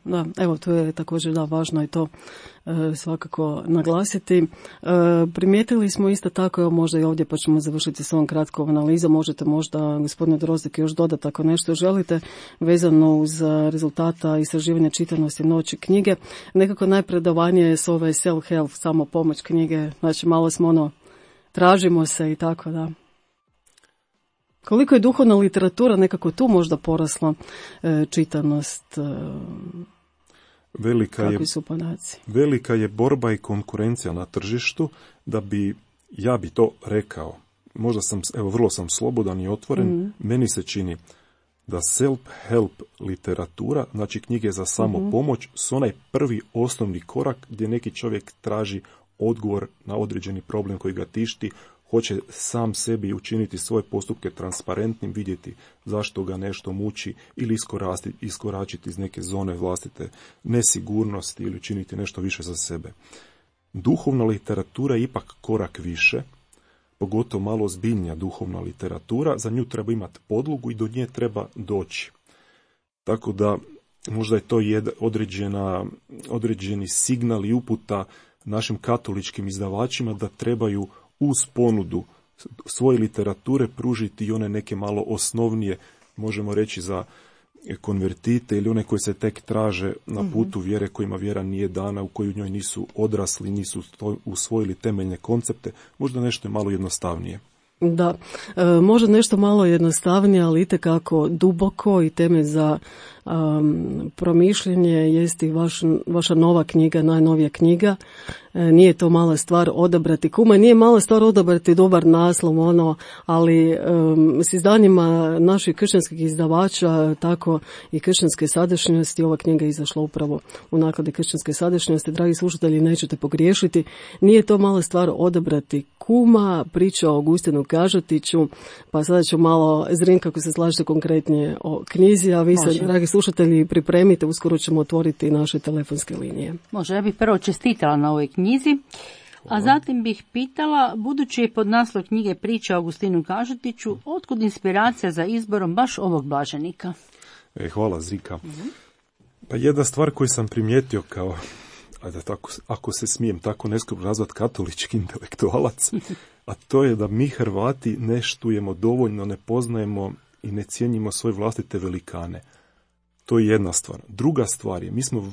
Da, evo to je također važno i to svakako naglasiti. Primijetili smo isto tako, evo možda i ovdje pa ćemo završiti s ovom kratkom analizom, možete možda, gospodine Drozdek, još dodati ako nešto želite vezano uz rezultata istraživanja čitanosti noći knjige. Nekako najpredavanje je s ove self-help, samo pomoć knjige, znači malo smo tražimo se i tako da. Koliko je duhovna literatura nekako tu možda porasla čitanost? Kakvi su podaci? Velika je borba i konkurencija na tržištu ja bi to rekao. Možda vrlo sam slobodan i otvoren. Meni se čini da self-help literatura, znači knjige za samopomoć, su onaj prvi osnovni korak gdje neki čovjek traži odgovor na određeni problem koji ga tišti, hoće sam sebi učiniti svoje postupke transparentnim, vidjeti zašto ga nešto muči ili iskoračiti iz neke zone vlastite nesigurnosti ili učiniti nešto više za sebe. Duhovna literatura je ipak korak više, pogotovo malo ozbiljnija duhovna literatura, za nju treba imati podlogu i do nje treba doći. Tako da možda je to određeni signal i uputa našim katoličkim izdavačima da trebaju uz ponudu svoje literature pružiti i one neke malo osnovnije, možemo reći za konvertite ili one koji se tek traže na putu vjere kojima vjera nije dana, u koju njoj nisu odrasli, nisu usvojili temeljne koncepte, možda nešto je malo jednostavnije. Da, može nešto malo jednostavnije, ali itekako duboko i temelj za promišljenje jest i vaša nova knjiga, najnovija knjiga. Nije to mala stvar odabrati kuma, nije mala stvar odabrati dobar naslov, ali s izdanjima naših kršćanskih izdavača, tako i kršćanske sadašnjosti, ova knjiga je izašla upravo u nakladi kršćanske sadašnjosti. Dragi slušatelji, nećete pogriješiti. Nije to mala stvar odabrati kuma, priča o Augustinu Kažetiću, pa sada ću malo, Zrinka, kako se slažete konkretnije o knjizi, a vi se, dragi slušatelji, pripremite, uskoro ćemo otvoriti naše telefonske linije. Može, ja bih prvo čestitala na ovoj knjizi, a zatim bih pitala, budući je pod naslov knjige Priča o Augustinu Kažetiću, otkud inspiracija za izborom baš ovog blaženika? Hvala, Zrika. Pa jedna stvar koju sam primijetio kao, ako se smijem tako neskromno nazvati, katolički intelektualac, a to je da mi Hrvati ne štujemo dovoljno, ne poznajemo i ne cijenimo svoje vlastite velikane. To je jedna stvar. Druga stvar je, mi smo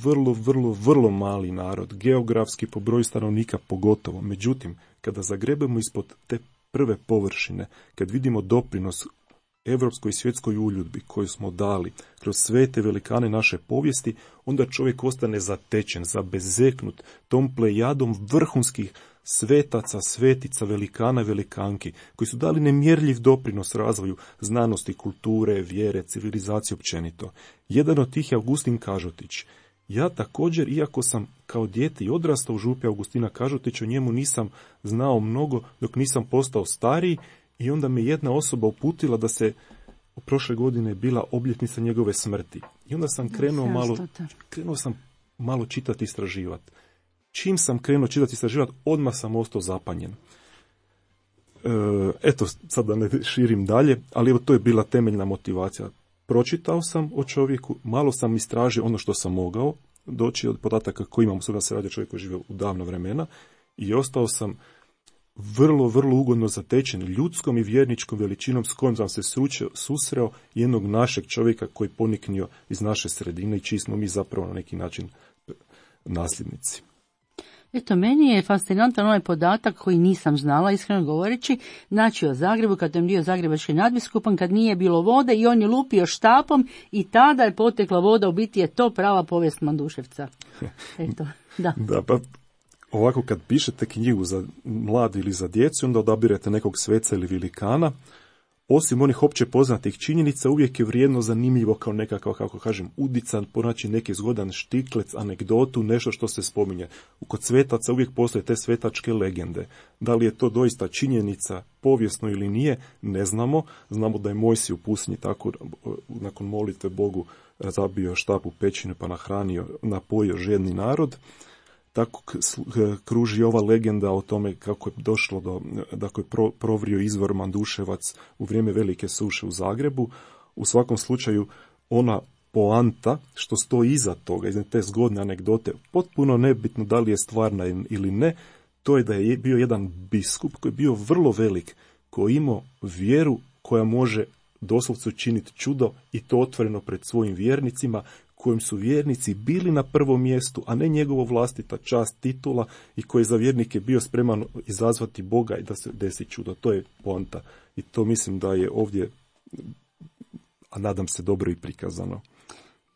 vrlo mali narod, geografski po broju stanovnika pogotovo. Međutim, kada zagrebemo ispod te prve površine, kad vidimo doprinos evropskoj i svjetskoj uljudbi koju smo dali kroz sve te velikane naše povijesti, onda čovjek ostane zatečen, zabezeknut tom plejadom vrhunskih svetaca, svetica, velikana i velikanki, koji su dali nemjerljiv doprinos razvoju znanosti, kulture, vjere, civilizacije općenito. Jedan od tih je Augustin Kažetić. Ja također, iako sam kao dijete i odrastao u župi Augustina Kažetića, o njemu nisam znao mnogo dok nisam postao stariji, i onda me jedna osoba uputila da se prošle godine bila obljetnica njegove smrti. I onda sam krenuo sam malo čitati i istraživati. Čim sam krenuo čitati i istraživati, odmah sam ostao zapanjen. Eto, sad da ne širim dalje, ali evo to je bila temeljna motivacija. Pročitao sam o čovjeku, malo sam istražio ono što sam mogao, doći od podataka koji imam, sada se radi o čovjeku koji žive u davno vremena, i ostao sam vrlo ugodno zatečen ljudskom i vjerničkom veličinom s kojom sam se susreo jednog našeg čovjeka koji poniknio iz naše sredine i čiji smo mi zapravo na neki način nasljednici. Eto, meni je fascinantan ovaj podatak koji nisam znala, iskreno govoreći. Znači o Zagrebu, kad je bio zagrebački nadbiskupan, kad nije bilo vode i on je lupio štapom i tada je potekla voda, u biti je to prava povijest Manduševca. Eto, da. Da, pa ovako kad pišete knjigu za mladi ili za djecu, onda odabirete nekog sveca ili velikana. Osim onih opće poznatih činjenica, uvijek je vrijedno zanimljivo kao nekakav, kako kažem, udican, pronaći neki zgodan štiklec, anegdotu, nešto što se spominje. Kod svetaca uvijek postoje te svetačke legende. Da li je to doista činjenica, povijesno ili nije, ne znamo. Znamo da je Mojsij u pustinji tako, nakon molitve Bogu, zabio štap u pećinu pa napojio žedni narod. Tako kruži ova legenda o tome kako je došlo do, dakle, provrio izvor Manduševac u vrijeme velike suše u Zagrebu. U svakom slučaju, ona poanta što stoji iza toga, iza te zgodne anegdote, potpuno nebitno da li je stvarna ili ne, to je da je bio jedan biskup koji je bio vrlo velik, koji imao vjeru koja može doslovce učiniti čudo, i to otvoreno pred svojim vjernicima, kojim su vjernici bili na prvom mjestu, a ne njegovo vlastita čast, titula, i koji za vjernike bio spreman izazvati Boga i da se desi čudo. To je poanta. I to mislim da je ovdje, a nadam se, dobro i prikazano.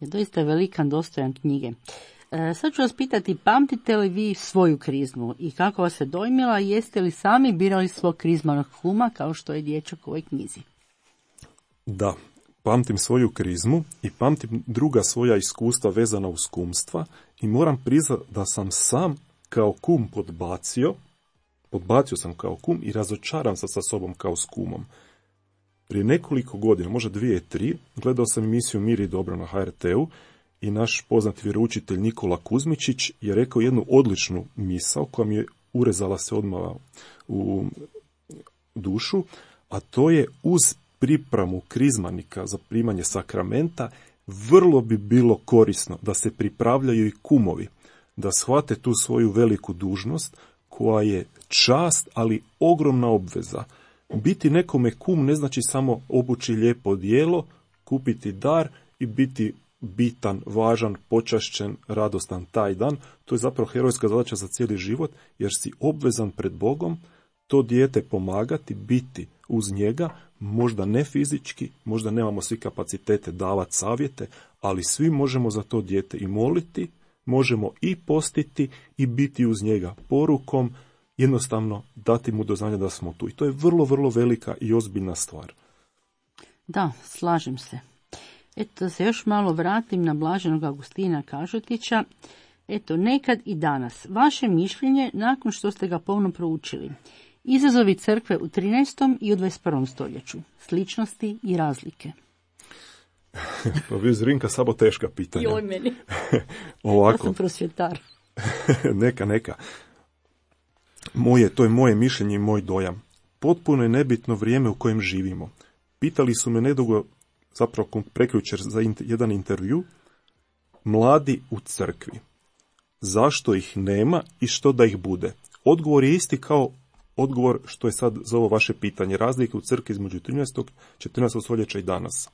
Je doista velikan, dostojan knjige. Sad ću vas pitati, pamtite li vi svoju krizmu i kako vas je dojmila, jeste li sami birali svog krizmanog kuma kao što je dječak u ovoj knjizi? Da. Pamtim svoju krizmu i pamtim druga svoja iskustva vezana uz kumstva i moram priznati da sam sam kao kum podbacio sam kao kum i razočaran sam sa sobom kao s kumom. Prije nekoliko godina, možda 2-3, gledao sam emisiju Mir i dobro na HRT-u i naš poznati vjeroučitelj Nikola Kuzmičić je rekao jednu odličnu misao koja mi je urezala se odmah u dušu, a to je uz pripremu krizmanika za primanje sakramenta, vrlo bi bilo korisno da se pripravljaju i kumovi, da shvate tu svoju veliku dužnost koja je čast, ali ogromna obveza. Biti nekome kum ne znači samo obući lijepo odijelo, kupiti dar i biti bitan, važan, počašćen, radostan taj dan. To je zapravo herojska zadaća za cijeli život, jer si obvezan pred Bogom to dijete pomagati, biti uz njega, možda ne fizički, možda nemamo svi kapacitete davati savjete, ali svi možemo za to dijete i moliti, možemo i postiti i biti uz njega porukom, jednostavno dati mu do znanja da smo tu. I to je vrlo, vrlo velika i ozbiljna stvar. Da, slažem se. Eto, da se još malo vratim na blaženog Augustina Kažutića. Eto, nekad i danas. Vaše mišljenje nakon što ste ga pomno proučili. Izazovi crkve u 13. i u 21. stoljeću. Sličnosti i razlike. Pa vi Zrinka, samo teška pitanja. Joj meni. Ovako. Ja sam prosvjetar. Neka. To je moje mišljenje i moj dojam. Potpuno je nebitno vrijeme u kojem živimo. Pitali su me nedugo, zapravo prekjučer za jedan intervju, mladi u crkvi. Zašto ih nema i što da ih bude? Odgovor je isti kao odgovor što je sad za ovo vaše pitanje. Razlike u crkvi između 13. 14. stoljeća i danas.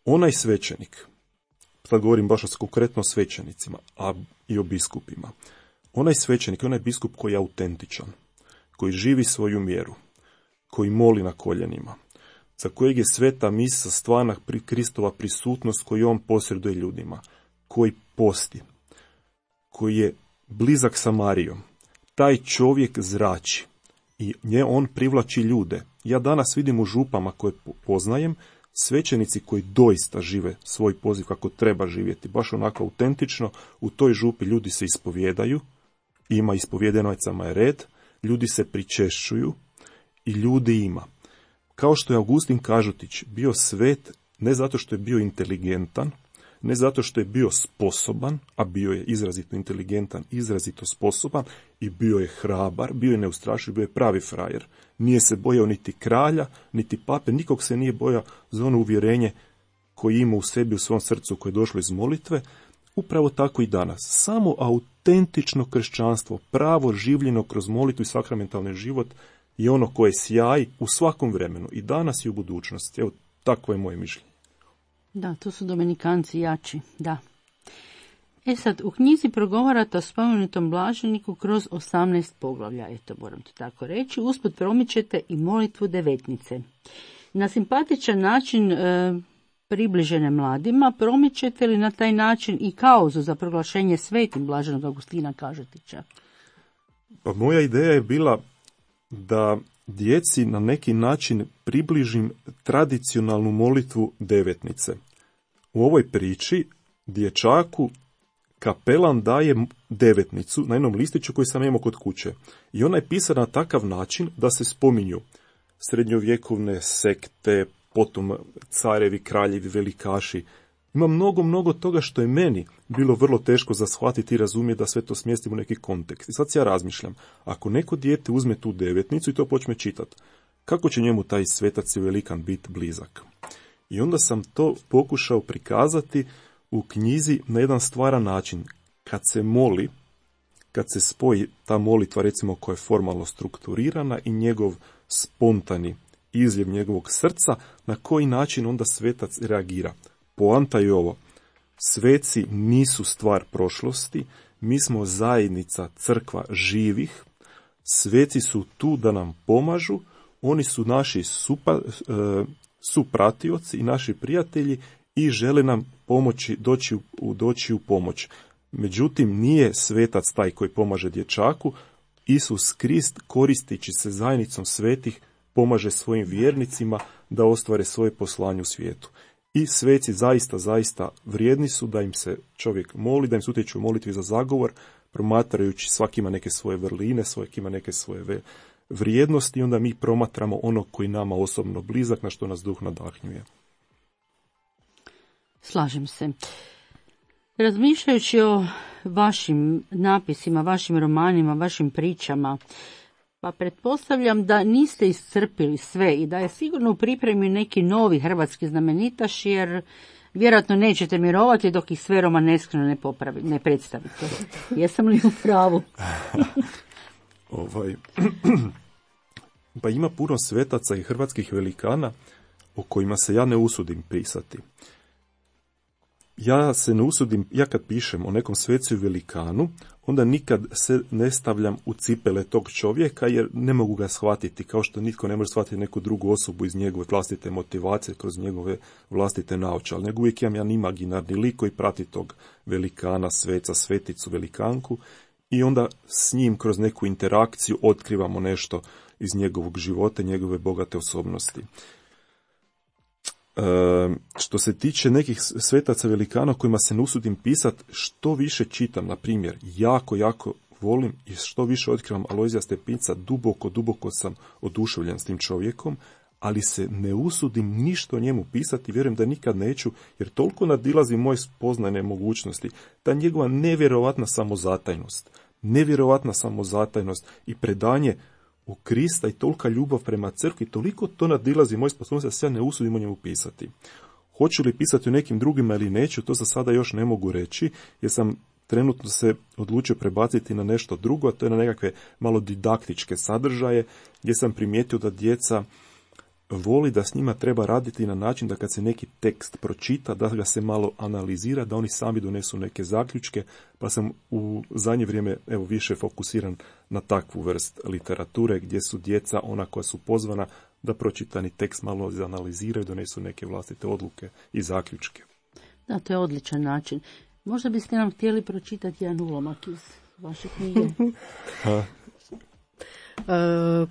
Onaj svećenik, sad govorim baš konkretno o svećenicima, a i o biskupima. Onaj svećenik, onaj biskup koji je autentičan, koji živi svoju mjeru, koji moli na koljenima, za kojeg je sveta misa stvarna Kristova prisutnost koju on posreduje ljudima, koji posti, koji je blizak sa Marijom, taj čovjek zrači i on privlači ljude. Ja danas vidim u župama koje poznajem, svećenici koji doista žive svoj poziv kako treba živjeti, baš onako autentično, u toj župi ljudi se ispovjedaju, ima ispovjedenicama je red, ljudi se pričešćuju i ljudi ima. Kao što je Augustin Kažutić bio svet ne zato što je bio inteligentan, ne zato što je bio sposoban, a bio je izrazito inteligentan, izrazito sposoban i bio je hrabar, bio je neustrašiv, bio je pravi frajer. Nije se bojao niti kralja, niti pape, nikog se nije bojao za ono uvjerenje koje ima u sebi, u svom srcu koje je došlo iz molitve. Upravo tako i danas. Samo autentično kršćanstvo, pravo življeno kroz molitvu i sakramentalni život je ono koje sjaji u svakom vremenu, i danas i u budućnosti. Evo, takvo je moje mišljenje. Da, to su dominikanci jači, da. Sad, u knjizi progovarate o spomenutom blaženiku kroz 18 poglavlja, eto, moram to tako reći. Usput promičete i molitvu devetnice. Na simpatičan način približene mladima, promičete li na taj način i kauzu za proglašenje svetim blaženog Augustina Kažutića? Pa moja ideja je bila da djeci na neki način približim tradicionalnu molitvu devetnice. U ovoj priči dječaku kapelan daje devetnicu na jednom listiću koji sam imao kod kuće. I ona je pisana na takav način da se spominju srednjovjekovne sekte, potom carevi, kraljevi, velikaši. Ima mnogo toga što je meni bilo vrlo teško za shvatiti i razumjeti, da sve to smjestim u neki kontekst. I sad ja razmišljam, ako neko dijete uzme tu devetnicu i to počne čitati, kako će njemu taj svetac i velikan biti blizak? I onda sam to pokušao prikazati u knjizi na jedan stvaran način. Kad se moli, kad se spoji ta molitva, recimo, koja je formalno strukturirana, i njegov spontani izljev njegovog srca, na koji način onda svetac reagira. Poanta je ovo: sveci nisu stvar prošlosti, mi smo zajednica, crkva živih, sveci su tu da nam pomažu, oni su naši supratioci i naši prijatelji i žele nam pomoći, doći u pomoć. Međutim, nije svetac taj koji pomaže dječaku. Isus Krist, koristeći se zajednicom svetih, pomaže svojim vjernicima da ostvare svoje poslanje u svijetu. I sveci zaista vrijedni su da im se čovjek moli, da im se utječu u molitvi za zagovor, promatrajući, svaki ima neke svoje vrline, svaki ima neke svoje vrijednosti, i onda mi promatramo ono koji nama osobno blizak, na što nas duh nadahnjuje. Slažem se. Razmišljajući o vašim napisima, vašim romanima, vašim pričama, pa pretpostavljam da niste iscrpili sve i da je sigurno u pripremi neki novi hrvatski znamenitaš, jer vjerojatno nećete mirovati dok ih sve romaneskreno ne predstavite. Jesam li u pravu? Pa ima puno svetaca i hrvatskih velikana o kojima se ja ne usudim pisati. ja se ne usudim, ja kad pišem o nekom svecu i velikanu, onda nikad se ne stavljam u cipele tog čovjeka, jer ne mogu ga shvatiti, kao što nitko ne može shvatiti neku drugu osobu iz njegove vlastite motivacije, kroz njegove vlastite naočale. Nego uvijek imam jedan imaginarni lik koji prati tog velikana, sveca, sveticu, velikanku, i onda s njim kroz neku interakciju otkrivamo nešto iz njegovog života, njegove bogate osobnosti. Što se tiče nekih svetaca velikana kojima se ne usudim pisati, što više čitam, na primjer, jako volim i što više otkrivam Alojzija Stepinca, duboko sam oduševljen s tim čovjekom, ali se ne usudim ništa o njemu pisati, vjerujem da nikad neću, jer toliko nadilazi moje spoznajne mogućnosti, ta njegova nevjerovatna samozatajnost i predanje u Krista i tolika ljubav prema crkvi, toliko to nadilazi moje sposobnosti da se ja ne usudim o njemu pisati. Hoću li pisati o nekim drugima ili neću, to za sada još ne mogu reći, jer sam trenutno se odlučio prebaciti na nešto drugo, a to je na nekakve malo didaktičke sadržaje, gdje sam primijetio da djeca voli da s njima treba raditi na način da kad se neki tekst pročita, da ga se malo analizira, da oni sami donesu neke zaključke, pa sam u zadnje vrijeme više fokusiran na takvu vrst literature, gdje su djeca ona koja su pozvana da pročitani tekst malo analiziraju, donesu neke vlastite odluke i zaključke. Da, to je odličan način. Možda biste nam htjeli pročitati jedan ulomak iz vaše knjige?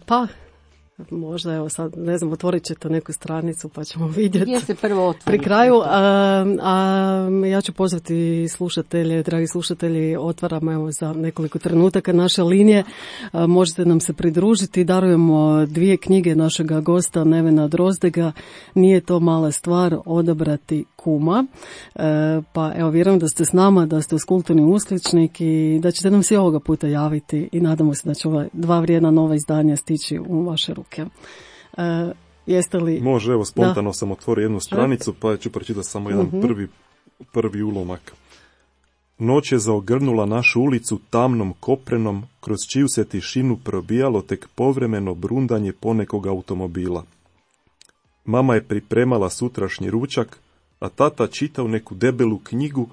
Pa, možda, evo sad, ne znam, otvorit ćete neku stranicu pa ćemo vidjeti. Gdje se prvo otvori? Pri kraju, ja ću pozvati slušatelje, dragi slušatelji, otvaramo evo za nekoliko trenutaka naše linije, možete nam se pridružiti, darujemo 2 knjige našega gosta Nevena Drozdega, Nije to mala stvar odabrati kuma, pa evo vjerujem da ste s nama, da ste uz Kulturni uskličnik i da ćete nam se ovoga puta javiti i nadamo se da će ova 2 vrijedna nova izdanja stići u vaše ruke. Jeste li... Može, evo, spontano sam otvorio jednu stranicu, pa ću pročitati samo jedan prvi ulomak. Noć je zaogrnula našu ulicu tamnom koprenom, kroz čiju se tišinu probijalo tek povremeno brundanje ponekog automobila. Mama je pripremala sutrašnji ručak, a tata čitao neku debelu knjigu,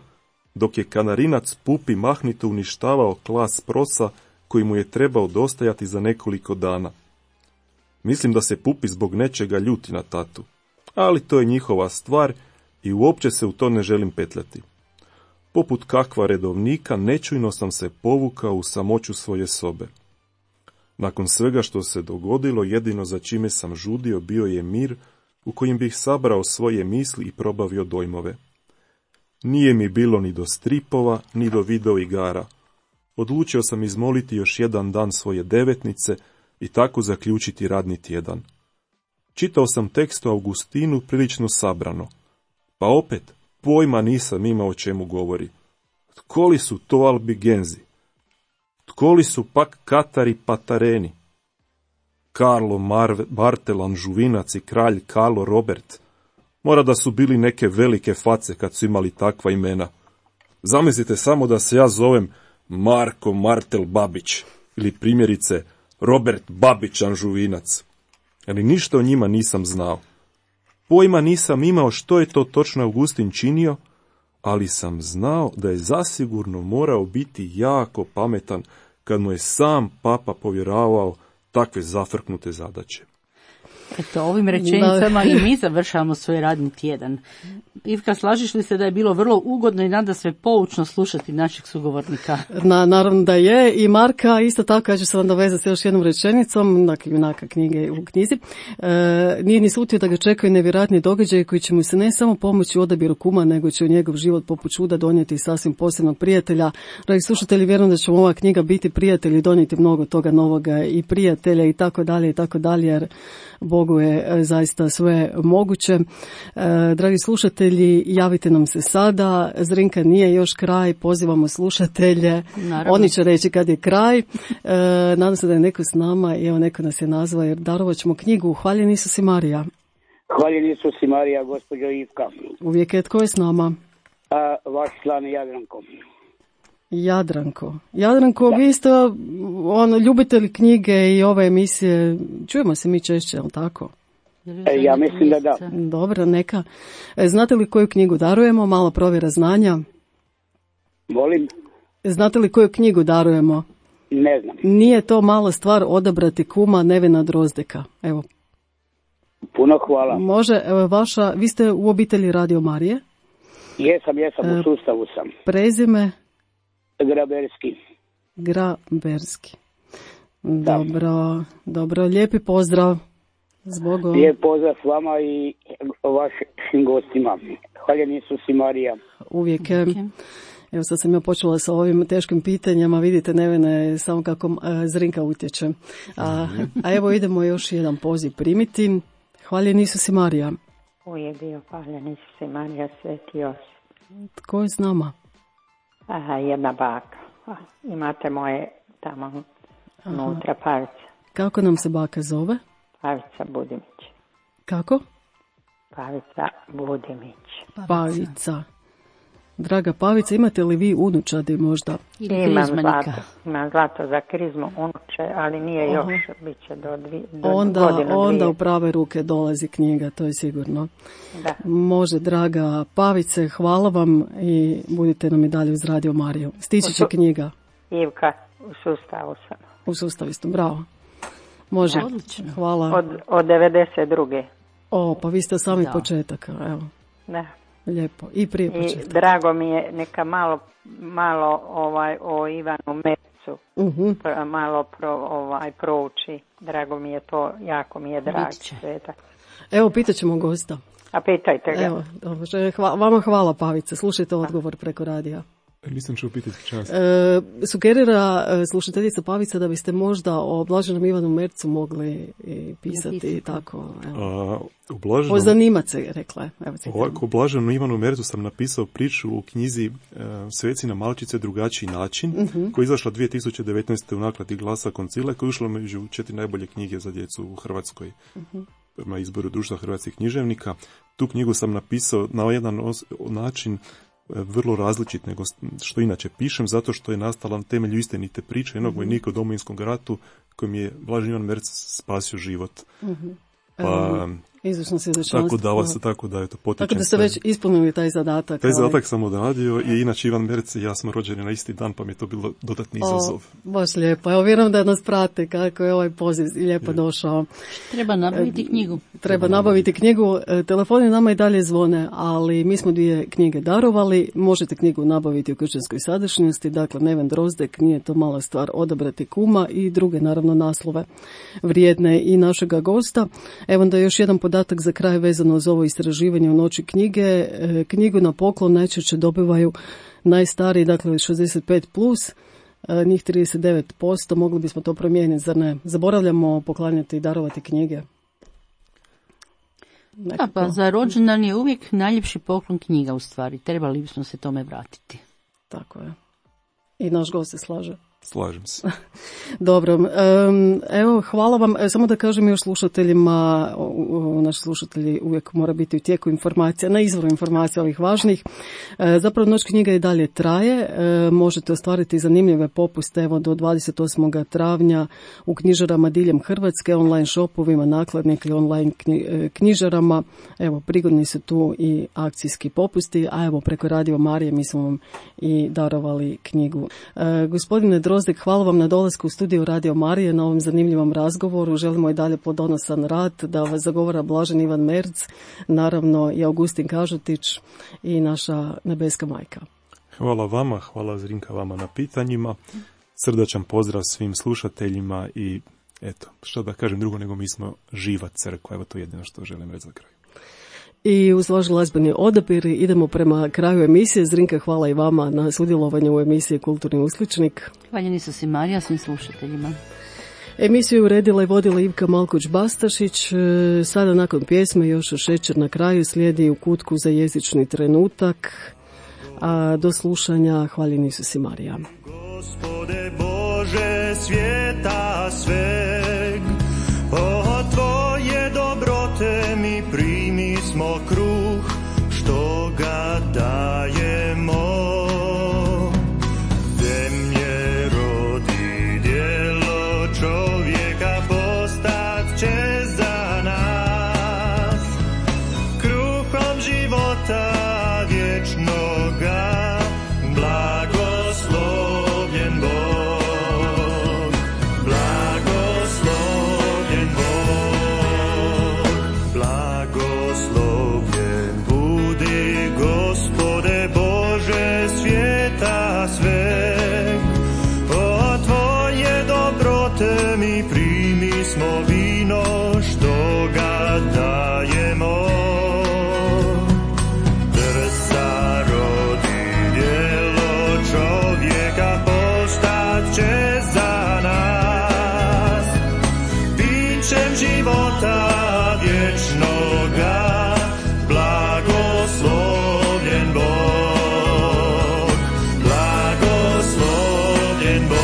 dok je kanarinac Pupi mahnito uništavao klas prosa koji mu je trebao dostajati za nekoliko dana. Mislim da se Pupi zbog nečega ljuti na tatu, ali to je njihova stvar i uopće se u to ne želim petljati. Poput kakva redovnika, nečujno sam se povukao u samoću svoje sobe. Nakon svega što se dogodilo, jedino za čime sam žudio bio je mir u kojem bih sabrao svoje misli i probavio dojmove. Nije mi bilo ni do stripova, ni do video igara. Odlučio sam izmoliti još jedan dan svoje devetnice i tako zaključiti radni tjedan. Čitao sam tekst o Augustinu prilično sabrano, pa opet pojma nisam imao o čemu govori. Tko li su to Albigenzi? Tko li su pak Katari Patareni? Karlo Bartelan Žuvinac i kralj Karlo Robert. Mora da su bili neke velike face kad su imali takva imena. Zamislite samo da se ja zovem Marko Martel Babić ili primjerice Robert Babićan Žuvinac. Ali ništa o njima nisam znao. Pojma nisam imao što je to točno Augustin činio, ali sam znao da je zasigurno morao biti jako pametan kad mu je sam papa povjeravao takve zafrknute zadaće. Eto, ovim rečenicama i mi završavamo svoj radni tjedan. Ivka, slažiš li se da je bilo vrlo ugodno i nadasve poučno slušati našeg sugovornika? Naravno da je. I Marka, isto tako, ja ću se vam dovezati s još jednom rečenicom, dakle, junaka knjige u knjizi. Nije ni slutio da ga čekaju nevjerojatni događaji koji će mu se ne samo pomoći u odabiru kuma, nego će u njegov život poput čuda donijeti sasvim posebnog prijatelja. Dragi slušatelji, vjerujem da će ova knjiga biti prijatelj i donijeti mnogo toga novoga i prijatelja i tako dalje, jer Bogu je zaista sve moguće. Dragi slušatelji, javite nam se sada. Zrinka nije još kraj, pozivamo slušatelje. Naravno. Oni će reći kad je kraj. Nadam se da je neko s nama i evo neko nas je nazvao jer darovat ćemo knjigu Hvaljen Isus i Marija. Hvaljen Isus i Marija, gospođo Ivka. Uvijek je, tko je s nama? Vaš član Jadranko. Jadranko, vi ste ljubitelj knjige i ove emisije, čujemo se mi češće, je li tako? Ja mislim da da. Dobro, neka. Znate li koju knjigu darujemo? Malo provjera znanja. Volim? Znate li koju knjigu darujemo? Ne znam. Nije to mala stvar odabrati kuma Nevena Drozdeka. Evo. Puno hvala. Može, evo vaša, vi ste u obitelji Radio Marije? Jesam, u sustavu sam. Prezime? Graberski. Dobro, lijepi pozdrav. Zbogom. Lijep pozdrav s vama i vašim gostima. Hvala Isus i Marija. Uvijek. Evo sad sam ja počela sa ovim teškim pitanjima, vidite Nevene samo kako Zrinka utječe. A evo idemo još jedan poziv primiti. Hvala Isus i Marija. Uvijek bio hvala Isus i Marija, Sveti Josip. Tko je s nama? Jedna baka. Imate moje tamo unutra Pavica. Kako nam se baka zove? Pavica Budimić. Kako? Pavica Budimić. Pavica. Draga Pavica, imate li vi unučadi možda? Imam zlato za krizmu unuče, ali nije još, bit će do onda u prave ruke dolazi knjiga, to je sigurno. Da. Može, draga Pavice, hvala vam i budite nam i dalje uz Radio Mariju. Stići će knjiga. Ivka, u sustavu sam. U sustavu isto, bravo. Može, hvala. Od 92. Pa vi ste sami početak, evo. Da. Lijepo. I prije početka. I drago mi je, neka malo o Ivanu Mercu malo prouči. Drago mi je to, jako mi je drag svetak. Evo, pitat ćemo gosta. A pitajte ga. Evo, vama hvala Pavice, slušajte odgovor preko radija. Nisam čuo pitati čast. Sugerira slušateljica Pavica da biste možda o Blaženom Ivanu Mercu mogli pisati tako. Pozanimat se, rekla je. Ovako, o Blaženom Ivanu Mercu sam napisao priču u knjizi Sveci na malčice drugačiji način, koja je izašla 2019. u nakladi Glasa Koncila, koja je ušla među 4 najbolje knjige za djecu u Hrvatskoj. Prema izboru Društva hrvatskih književnika. Tu knjigu sam napisao na jedan način vrlo različit nego što inače pišem, zato što je nastala na temelju istinite priče jednog vojnika u Domovinskom ratu kojem je Blažen Ivan Merc spasio život. Izvršno svjedočanstvo. Tako da je to potičem. Tako da ste već ispunili taj zadatak. Taj zadatak sam odradio i inače Ivan Merc i ja smo rođeni na isti dan, pa mi je to bilo dodatni izazov. Baš lijepo. Evo, vjerujem da nas prate kako je ovaj poziv lijepo došao. Treba nabaviti knjigu. Treba nabaviti knjigu. Telefoni nama i dalje zvone, ali mi smo 2 knjige darovali. Možete knjigu nabaviti u kršćanskoj sadašnjosti. Dakle, Neven Drozdek, nije to mala stvar odabrati kuma i druge, naravno, naslove vrijedne i našega gosta. Evo da još jedan podatak za kraj vezano za ovo istraživanje u noći knjige. Knjigu na poklon najčešće dobivaju najstariji, dakle 65+, njih 39%, mogli bismo to promijeniti, zar ne? Zaboravljamo poklanjati i darovati knjige. Da, pa za rođendan je uvijek najljepši poklon knjiga u stvari. Trebali bismo se tome vratiti. Tako je. I naš gost se slaže. Slažem se. Dobro, evo hvala vam. Samo da kažem još slušateljima, naši slušatelji uvijek mora biti u tijeku informacija, na izvoru informacija ovih važnih. Zapravo noć knjiga i dalje traje, možete ostvariti zanimljive popuste evo do 28. travnja u knjižarama diljem Hrvatske, online shopovima, nakladnika i online knjižarama. Evo, prigodni su tu i akcijski popusti, a evo preko Radio Marije mi smo vam i darovali knjigu. Gospodine Drozdek, hvala vam na dolasku u studiju Radio Marije, na ovom zanimljivom razgovoru. Želimo i dalje plodonosan rad, da vas zagovara Blažen Ivan Merc, naravno i Augustin Kažutić i naša nebeska majka. Hvala vama, hvala Zrinka vama na pitanjima. Srdačan pozdrav svim slušateljima i eto, što da kažem drugo nego mi smo živa crkva, evo to je jedino što želim reći za kraj. I uz vaš glazbeni odabir idemo prema kraju emisije. Zrinka, hvala i vama na sudjelovanju u emisiji Kulturni uskličnik. Hvala Isus i Marija svim slušateljima. Emisiju uredila i vodila Ivka Malkuć-Bastašić. Sada nakon pjesme još šećer na kraju slijedi U kutku za jezični trenutak. A do slušanja, hvala Isus i Marija. Gospode Bože svijeta sveg, o tvoje dobrote mi primi smo kruh, što ga dajemo. Zemlje rodi djelo čovjeka postat će za nas. smo vino što ga dajemo. Trsa rodi djelo čovjeka, postat će za nas pićem života vječnoga. Blagoslovljen Bog, blagoslovljen Bog.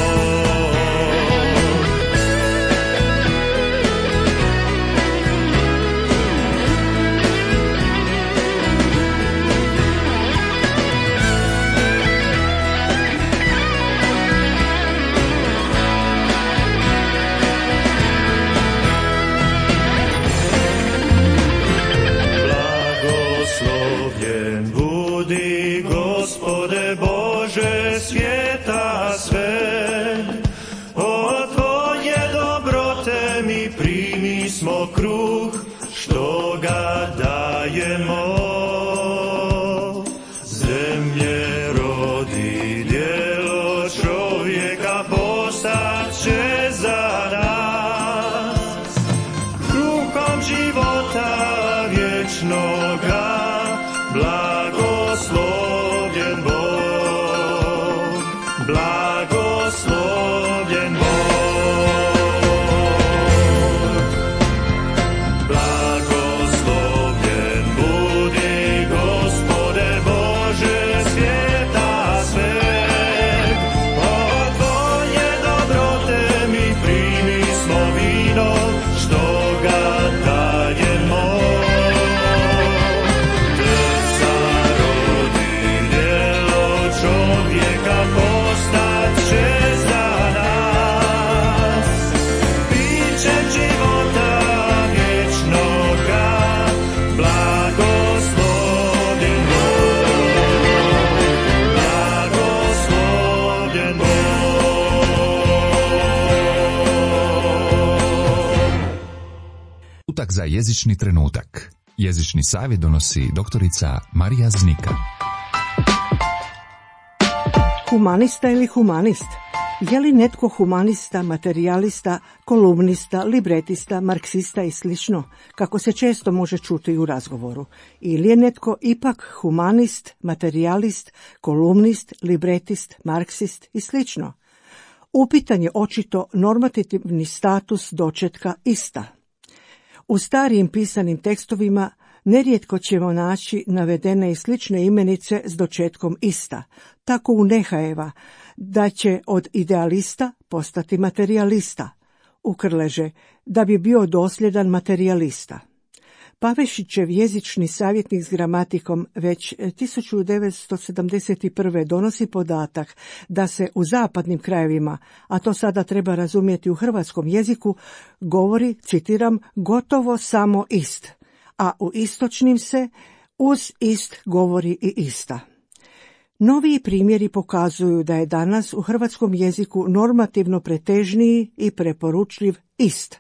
Blagoslovljen budi, Gospode Bože svijeta sve, od Tvoje dobrote mi primi smo kruh, što ga dajemo. Zemlje rodi djelo čovjeka, postat će za nas kruhom života vječnoga. Blagoslovljen Bog, blagoslovljen Bog. Blagoslovljen budi, Gospode Bože svijeta sveg, od Tvoje dobrote mi primi smo vino, što ga dajemo. Čovjeka postat će za nas pićem života vječnoga. Blagoslovljen Bog, blagoslovljen Bog. Utak za jezični trenutak. Jezični savjet donosi doktorica Marija Znika. Humanista ili humanist? Je li netko humanista, materijalista, kolumnista, libretista, marksista i slično, kako se često može čuti u razgovoru? Ili je netko ipak humanist, materijalist, kolumnist, libretist, marksist i slično? Upitan je očito normativni status dočetka ista. U starijim pisanim tekstovima nerijetko ćemo naći navedene i slične imenice s dočetkom ista, tako u Nehajeva, da će od idealista postati materijalista, u Krleže, da bi bio dosljedan materijalista. Pavešićev jezični savjetnik s gramatikom već 1971. donosi podatak da se u zapadnim krajevima, a to sada treba razumjeti u hrvatskom jeziku, govori, citiram, gotovo samo ist, a u istočnim se uz ist govori i ista. Noviji primjeri pokazuju da je danas u hrvatskom jeziku normativno pretežniji i preporučljiv ist.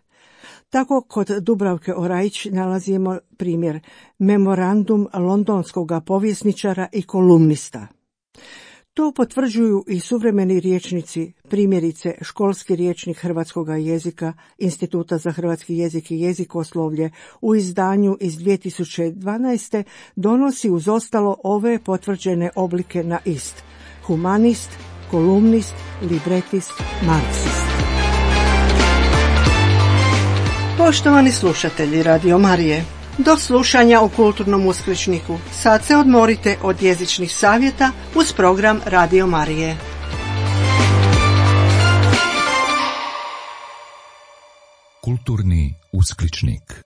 Tako kod Dubravke Orajić nalazimo primjer memorandum londonskog povjesničara i kolumnista. To potvrđuju i suvremeni rječnici, primjerice školski rječnik hrvatskog jezika Instituta za hrvatski jezik i jezikoslovlje u izdanju iz 2012. donosi uz ostalo ove potvrđene oblike na ist: humanist, kolumnist, libretist, marksist. Poštovani slušatelji Radio Marije, do slušanja u Kulturnom uskličniku. Sad se odmorite od jezičnih savjeta uz program Radio Marije. Kulturni uskličnik.